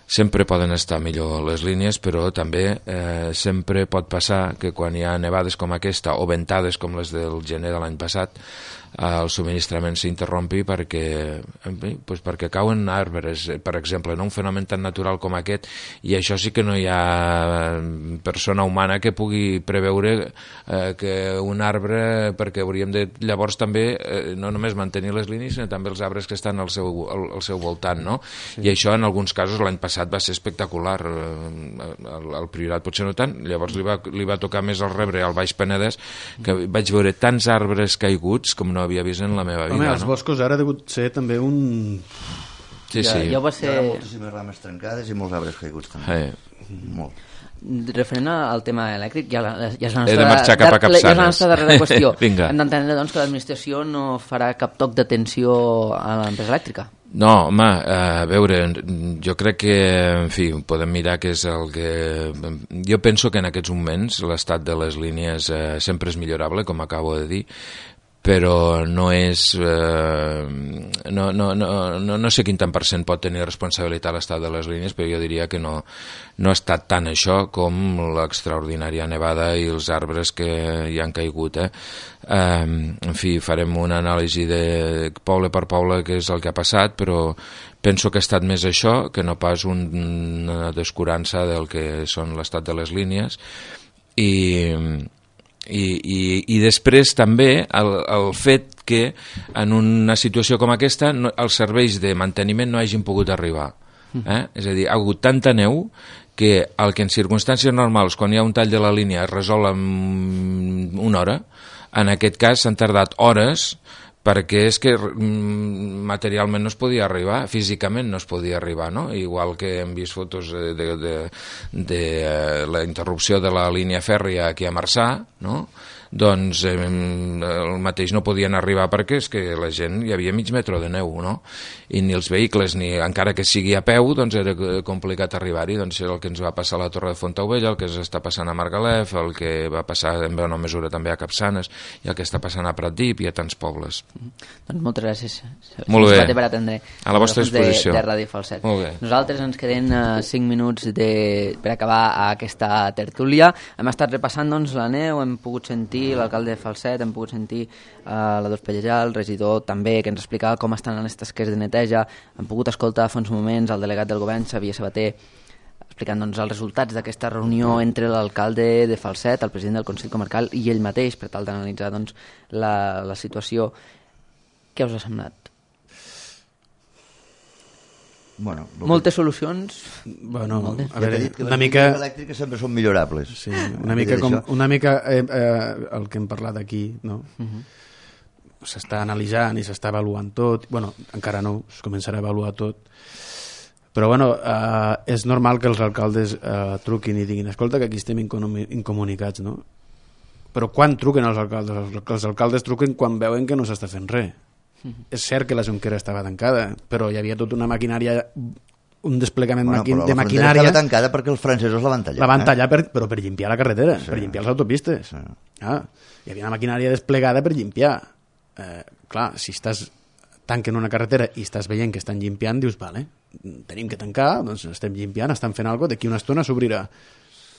[SPEAKER 10] sempre poden estar millor les línies, però també eh, sempre pot passar que quan hi ha nevades com aquesta o ventades com les del gener de l'any passat, el subministrament s'interrompi perquè, doncs perquè cauen arbres, per exemple, no? Un fenomen tan natural com aquest, i això sí que no hi ha persona humana que pugui preveure eh, que un arbre, perquè hauríem de llavors també eh, no només mantenir les línies, sinó també els arbres que estan al seu, al, al seu voltant, no? Sí. I això en alguns casos l'any passat va ser espectacular, el, el Priorat potser no tant, llavors li va, li va tocar més el rebre al Baix Penedès, que vaig veure tants arbres caiguts com no havia vist en la meva vida.
[SPEAKER 2] Home, els
[SPEAKER 10] no?
[SPEAKER 2] boscos ara ha degut ser també un...
[SPEAKER 10] Sí,
[SPEAKER 1] ja,
[SPEAKER 10] sí.
[SPEAKER 1] Ja va ser...
[SPEAKER 3] Hi ha moltíssimes rames trencades i molts arbres caiguts també.
[SPEAKER 10] Eh.
[SPEAKER 3] Molt.
[SPEAKER 1] Referent al tema elèctric, ja, la, ja és la
[SPEAKER 10] nostra,
[SPEAKER 1] He de
[SPEAKER 10] marxar cap a Capçanes.
[SPEAKER 1] Ja és la nostra darrera qüestió.
[SPEAKER 10] Vinga.
[SPEAKER 1] Hem d'entendre doncs, que l'administració no farà cap toc d'atenció a l'empresa elèctrica.
[SPEAKER 10] No, home, a veure, jo crec que, en fi, podem mirar què és el que... Jo penso que en aquests moments l'estat de les línies eh, sempre és millorable, com acabo de dir, però no és... Eh, no, no, no, no, no sé quin tant per cent pot tenir responsabilitat l'estat de les línies, però jo diria que no, no ha estat tant això com l'extraordinària nevada i els arbres que hi han caigut. Eh? Eh, en fi, farem una anàlisi de poble per poble què és el que ha passat, però penso que ha estat més això que no pas un, una descurança del que són l'estat de les línies. I... I, i, i després també el, el fet que en una situació com aquesta no, els serveis de manteniment no hagin pogut arribar. Eh? És a dir, ha hagut tanta neu que el que en circumstàncies normals, quan hi ha un tall de la línia, es resol en una hora, en aquest cas s'han tardat hores perquè és que materialment no es podia arribar, físicament no es podia arribar, no? Igual que hem vist fotos de, de, de, de la interrupció de la línia fèrria aquí a Marçà, no? Doncs eh, el mateix no podien arribar perquè és que la gent hi havia mig metre de neu, no? I ni els vehicles, ni encara que sigui a peu, doncs era complicat arribar-hi. Doncs el que ens va passar a la Torre de Fontaubella, el que està passant a Margalef, el que va passar en bona mesura també a Capçanes i el que està passant a Pratdip i a tants pobles.
[SPEAKER 1] Mm. Doncs moltes gràcies.
[SPEAKER 10] Molt bé.
[SPEAKER 1] Per atendre
[SPEAKER 10] a la vostra disposició.
[SPEAKER 1] De, de Ràdio Falset.
[SPEAKER 10] Molt bé.
[SPEAKER 1] Nosaltres ens queden uh, cinc minuts de, per acabar aquesta tertúlia. Hem estat repassant doncs, la neu, hem pogut sentir l'alcalde de Falset, hem pogut sentir uh, la Dols Pellejà, el regidor també, que ens explicava com estan les tasques de neteja. Hem pogut escoltar fa uns moments el delegat del govern, Xavier Sabater, explicant doncs, els resultats d'aquesta reunió entre l'alcalde de Falset, el president del Consell Comarcal i ell mateix, per tal d'analitzar doncs, la, la situació. Què us ha semblat?
[SPEAKER 3] Bueno,
[SPEAKER 1] moltes que... solucions.
[SPEAKER 2] Bueno,
[SPEAKER 1] moltes.
[SPEAKER 2] a veure,
[SPEAKER 3] dit que
[SPEAKER 2] una
[SPEAKER 3] les
[SPEAKER 2] mica
[SPEAKER 3] elèctriques sempre són millorables.
[SPEAKER 2] Sí, una mica com una mica eh, eh, el que hem parlat aquí, no? Uh-huh. S'està analitzant i s'està avaluant tot. Bueno, encara no, es començarà a avaluar tot. Però bueno, eh, és normal que els alcaldes eh, truquin i diguin, escolta, que aquí estem incomunicats, no? Però quan truquen els alcaldes? Els alcaldes truquen quan veuen que no s'està fent res. Uh-huh. És cert que la Jonquera estava tancada, però hi havia tota una maquinària, un desplegament
[SPEAKER 3] bueno,
[SPEAKER 2] maqui de
[SPEAKER 3] la
[SPEAKER 2] maquinària.
[SPEAKER 3] Estava tancada perquè els francesos la van tallar.
[SPEAKER 2] La van tallar,
[SPEAKER 3] eh?
[SPEAKER 2] per, però per llimpiar la carretera, sí. Per llimpiar les autopistes.
[SPEAKER 3] Sí.
[SPEAKER 2] Ah, hi havia una maquinària desplegada per llimpiar. Eh, clar, si estàs tanquen una carretera i estàs veient que estan llimpiant, dius, vale, tenim que tancar, doncs estem llimpiant, estan fent alguna cosa, d'aquí una estona s'obrirà.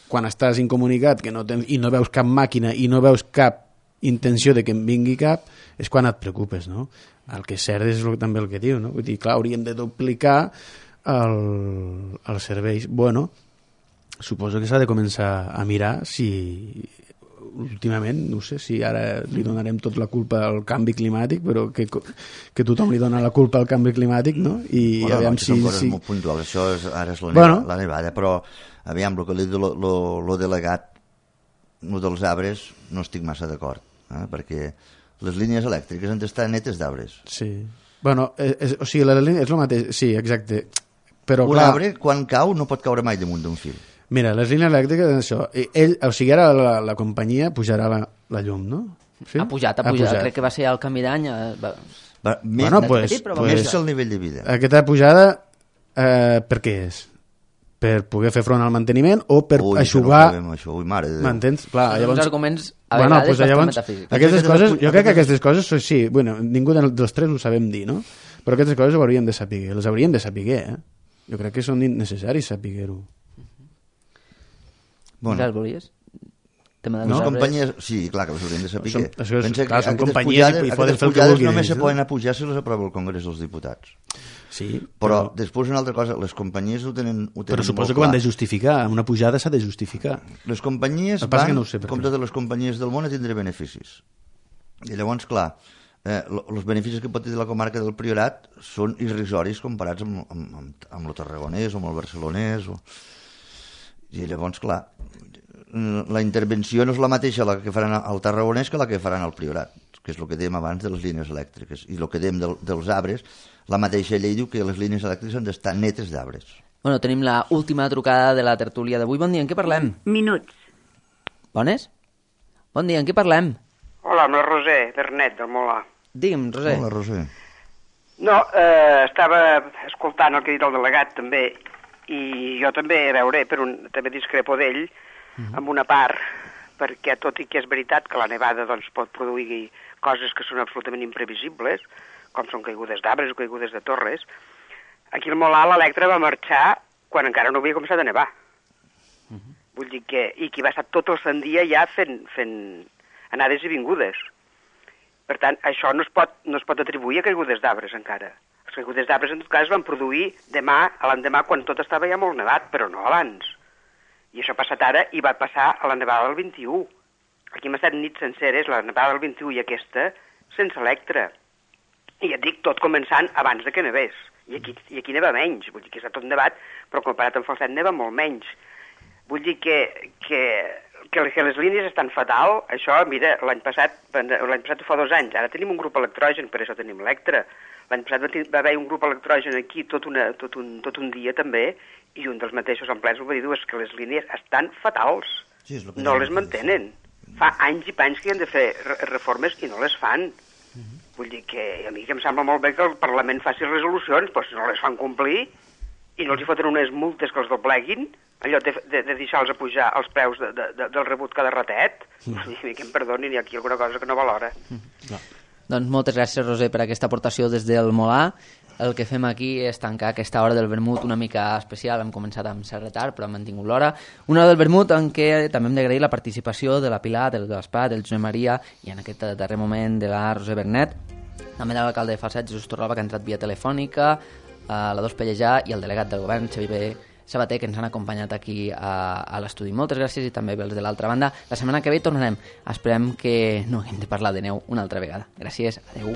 [SPEAKER 2] Quan estàs incomunicat que no tens, i no veus cap màquina i no veus cap intenció de que en vingui cap, és quan et preocupes, no? El que és cert és també el que diu, no? Vull dir, clar, hauríem de duplicar el, els serveis. Bueno, suposo que s'ha de començar a mirar si últimament, no sé si ara li donarem tot la culpa al canvi climàtic, però que, que tothom li dona la culpa al canvi climàtic, no? I
[SPEAKER 3] bueno,
[SPEAKER 2] aviam
[SPEAKER 3] no,
[SPEAKER 2] si...
[SPEAKER 3] Són coses
[SPEAKER 2] si...
[SPEAKER 3] molt puntuals, això és, ara és la,
[SPEAKER 2] bueno.
[SPEAKER 3] nevada, la nevada, però aviam, el que li diu el delegat, el dels arbres, no estic massa d'acord, eh? Perquè les línies elèctriques han d'estar netes d'arbres.
[SPEAKER 2] Sí. Bueno, és, o sigui, la línia és el mateix, sí, exacte. Però,
[SPEAKER 3] un
[SPEAKER 2] clar,
[SPEAKER 3] arbre, quan cau, no pot caure mai damunt d'un fil.
[SPEAKER 2] Mira, les línies elèctriques, això, ell, o sigui, ara la, la companyia pujarà la, la llum, no?
[SPEAKER 1] Sí? Ha pujat, ha, ha pujat. pujat. Crec que va ser al canvi d'any. Va...
[SPEAKER 3] Va, més,
[SPEAKER 2] bueno, pues,
[SPEAKER 3] petit, però
[SPEAKER 2] pues,
[SPEAKER 3] més el nivell de vida.
[SPEAKER 2] Aquesta pujada, eh, per què és? Per poder fer front al manteniment o per
[SPEAKER 3] Ui,
[SPEAKER 2] eixugar...
[SPEAKER 3] No això. Ui, mare de Déu.
[SPEAKER 2] M'entens? Clar,
[SPEAKER 1] són
[SPEAKER 2] llavors...
[SPEAKER 1] uns arguments a
[SPEAKER 2] bueno,
[SPEAKER 1] vegades
[SPEAKER 2] pues,
[SPEAKER 1] bastant
[SPEAKER 2] llavors,
[SPEAKER 1] metafísics.
[SPEAKER 2] aquestes coses, jo crec que aquestes coses, sí, bueno, ningú dels tres ho sabem dir, no? Però aquestes coses ho hauríem de saber, les hauríem de saber, eh? Jo crec que són necessaris saber-ho.
[SPEAKER 1] Bueno. Ja volies?
[SPEAKER 3] Tema de no, companyies... Sí, clar que les hauríem de saber.
[SPEAKER 2] Són, això és,
[SPEAKER 3] Pensa
[SPEAKER 2] clar, són companyies
[SPEAKER 3] pujades,
[SPEAKER 2] i poden fer el que vulguin.
[SPEAKER 3] Només se
[SPEAKER 2] no?
[SPEAKER 3] poden apujar si les aprova el Congrés dels Diputats.
[SPEAKER 2] Sí,
[SPEAKER 3] però, però després una altra cosa, les companyies ho tenen, ho tenen
[SPEAKER 2] però suposo que ho han de justificar, una pujada s'ha de justificar.
[SPEAKER 3] Les companyies van, no sé com totes les companyies del món, a tindre beneficis. I llavors, clar, eh, els beneficis que pot tenir la comarca del Priorat són irrisoris comparats amb, amb, amb, amb el tarragonès o amb el barcelonès. O... I llavors, clar, la intervenció no és la mateixa la que faran al tarragonès que la que faran al Priorat, que és el que dèiem abans de les línies elèctriques. I el que dèiem del, dels arbres, la mateixa llei diu que les línies elèctriques han d'estar netes d'arbres.
[SPEAKER 1] Bueno, tenim la última trucada de la tertúlia d'avui. Bon dia, en què parlem?
[SPEAKER 7] Minuts.
[SPEAKER 1] Bones? Bon dia, en què parlem?
[SPEAKER 11] Hola, amb la Roser Bernet, del Molar.
[SPEAKER 1] Digue'm, Roser.
[SPEAKER 3] Hola, Roser.
[SPEAKER 11] No, eh, estava escoltant el que ha dit el delegat també, i jo també, a veure, per un, també discrepo d'ell, uh-huh. amb una part, perquè tot i que és veritat que la nevada doncs, pot produir coses que són absolutament imprevisibles, com són caigudes d'arbres o caigudes de torres, aquí al Molar l'Electra va marxar quan encara no havia començat a nevar. Uh-huh. Vull dir que, i que va estar tot el sant dia ja fent, fent anades i vingudes. Per tant, això no es pot, no es pot atribuir a caigudes d'arbres encara. Les caigudes d'arbres, en tot cas, van produir demà, a l'endemà, quan tot estava ja molt nevat, però no abans. I això ha passat ara i va passar a la nevada del vint-i-u. Aquí hem estat nits senceres, la nevada del vint-i-u i aquesta, sense Electra. I ja et dic, tot començant abans de que nevés. I aquí, i aquí neva menys. Vull dir que està tot nevat, però comparat amb Falset neva molt menys. Vull dir que, que, que les línies estan fatal. Això, mira, l'any passat, l'any passat fa dos anys, ara tenim un grup electrogen, per això tenim Electra. L'any passat va, va haver un grup electrogen aquí tot, una, tot, un, tot un dia també, i un dels mateixos empleats ho va dir, és que les línies estan fatals. Sí, no les mantenen. Fa anys i panys que hi han de fer reformes i no les fan. Uh-huh. Vull dir que a mi que em sembla molt bé que el Parlament faci resolucions, però si no les fan complir i no els hi foten unes multes que els dobleguin, allò de, de, de deixar-los a pujar els preus de, de, de, del rebut cada ratet, uh-huh. I que em perdonin, hi ha aquí alguna cosa que no valora.
[SPEAKER 1] Uh-huh. No. Doncs moltes gràcies, Roser, per aquesta aportació des del Molar. El que fem aquí és tancar aquesta hora del vermut una mica especial. Hem començat amb cert retard, però hem mantingut l'hora. Una hora del vermut en què també hem d'agrair la participació de la Pilar, del Gaspar, del Josep Maria i en aquest darrer moment de la Roser Bernet, també de l'alcalde de Falset, Jesús Torralba, que ha entrat via telefònica, la Dos Pellejà i el delegat del govern, Xavier Sabater, que ens han acompanyat aquí a, a l'estudi. Moltes gràcies i també els de l'altra banda. La setmana que ve tornarem. Esperem que no haguem de parlar de neu una altra vegada. Gràcies, adeu.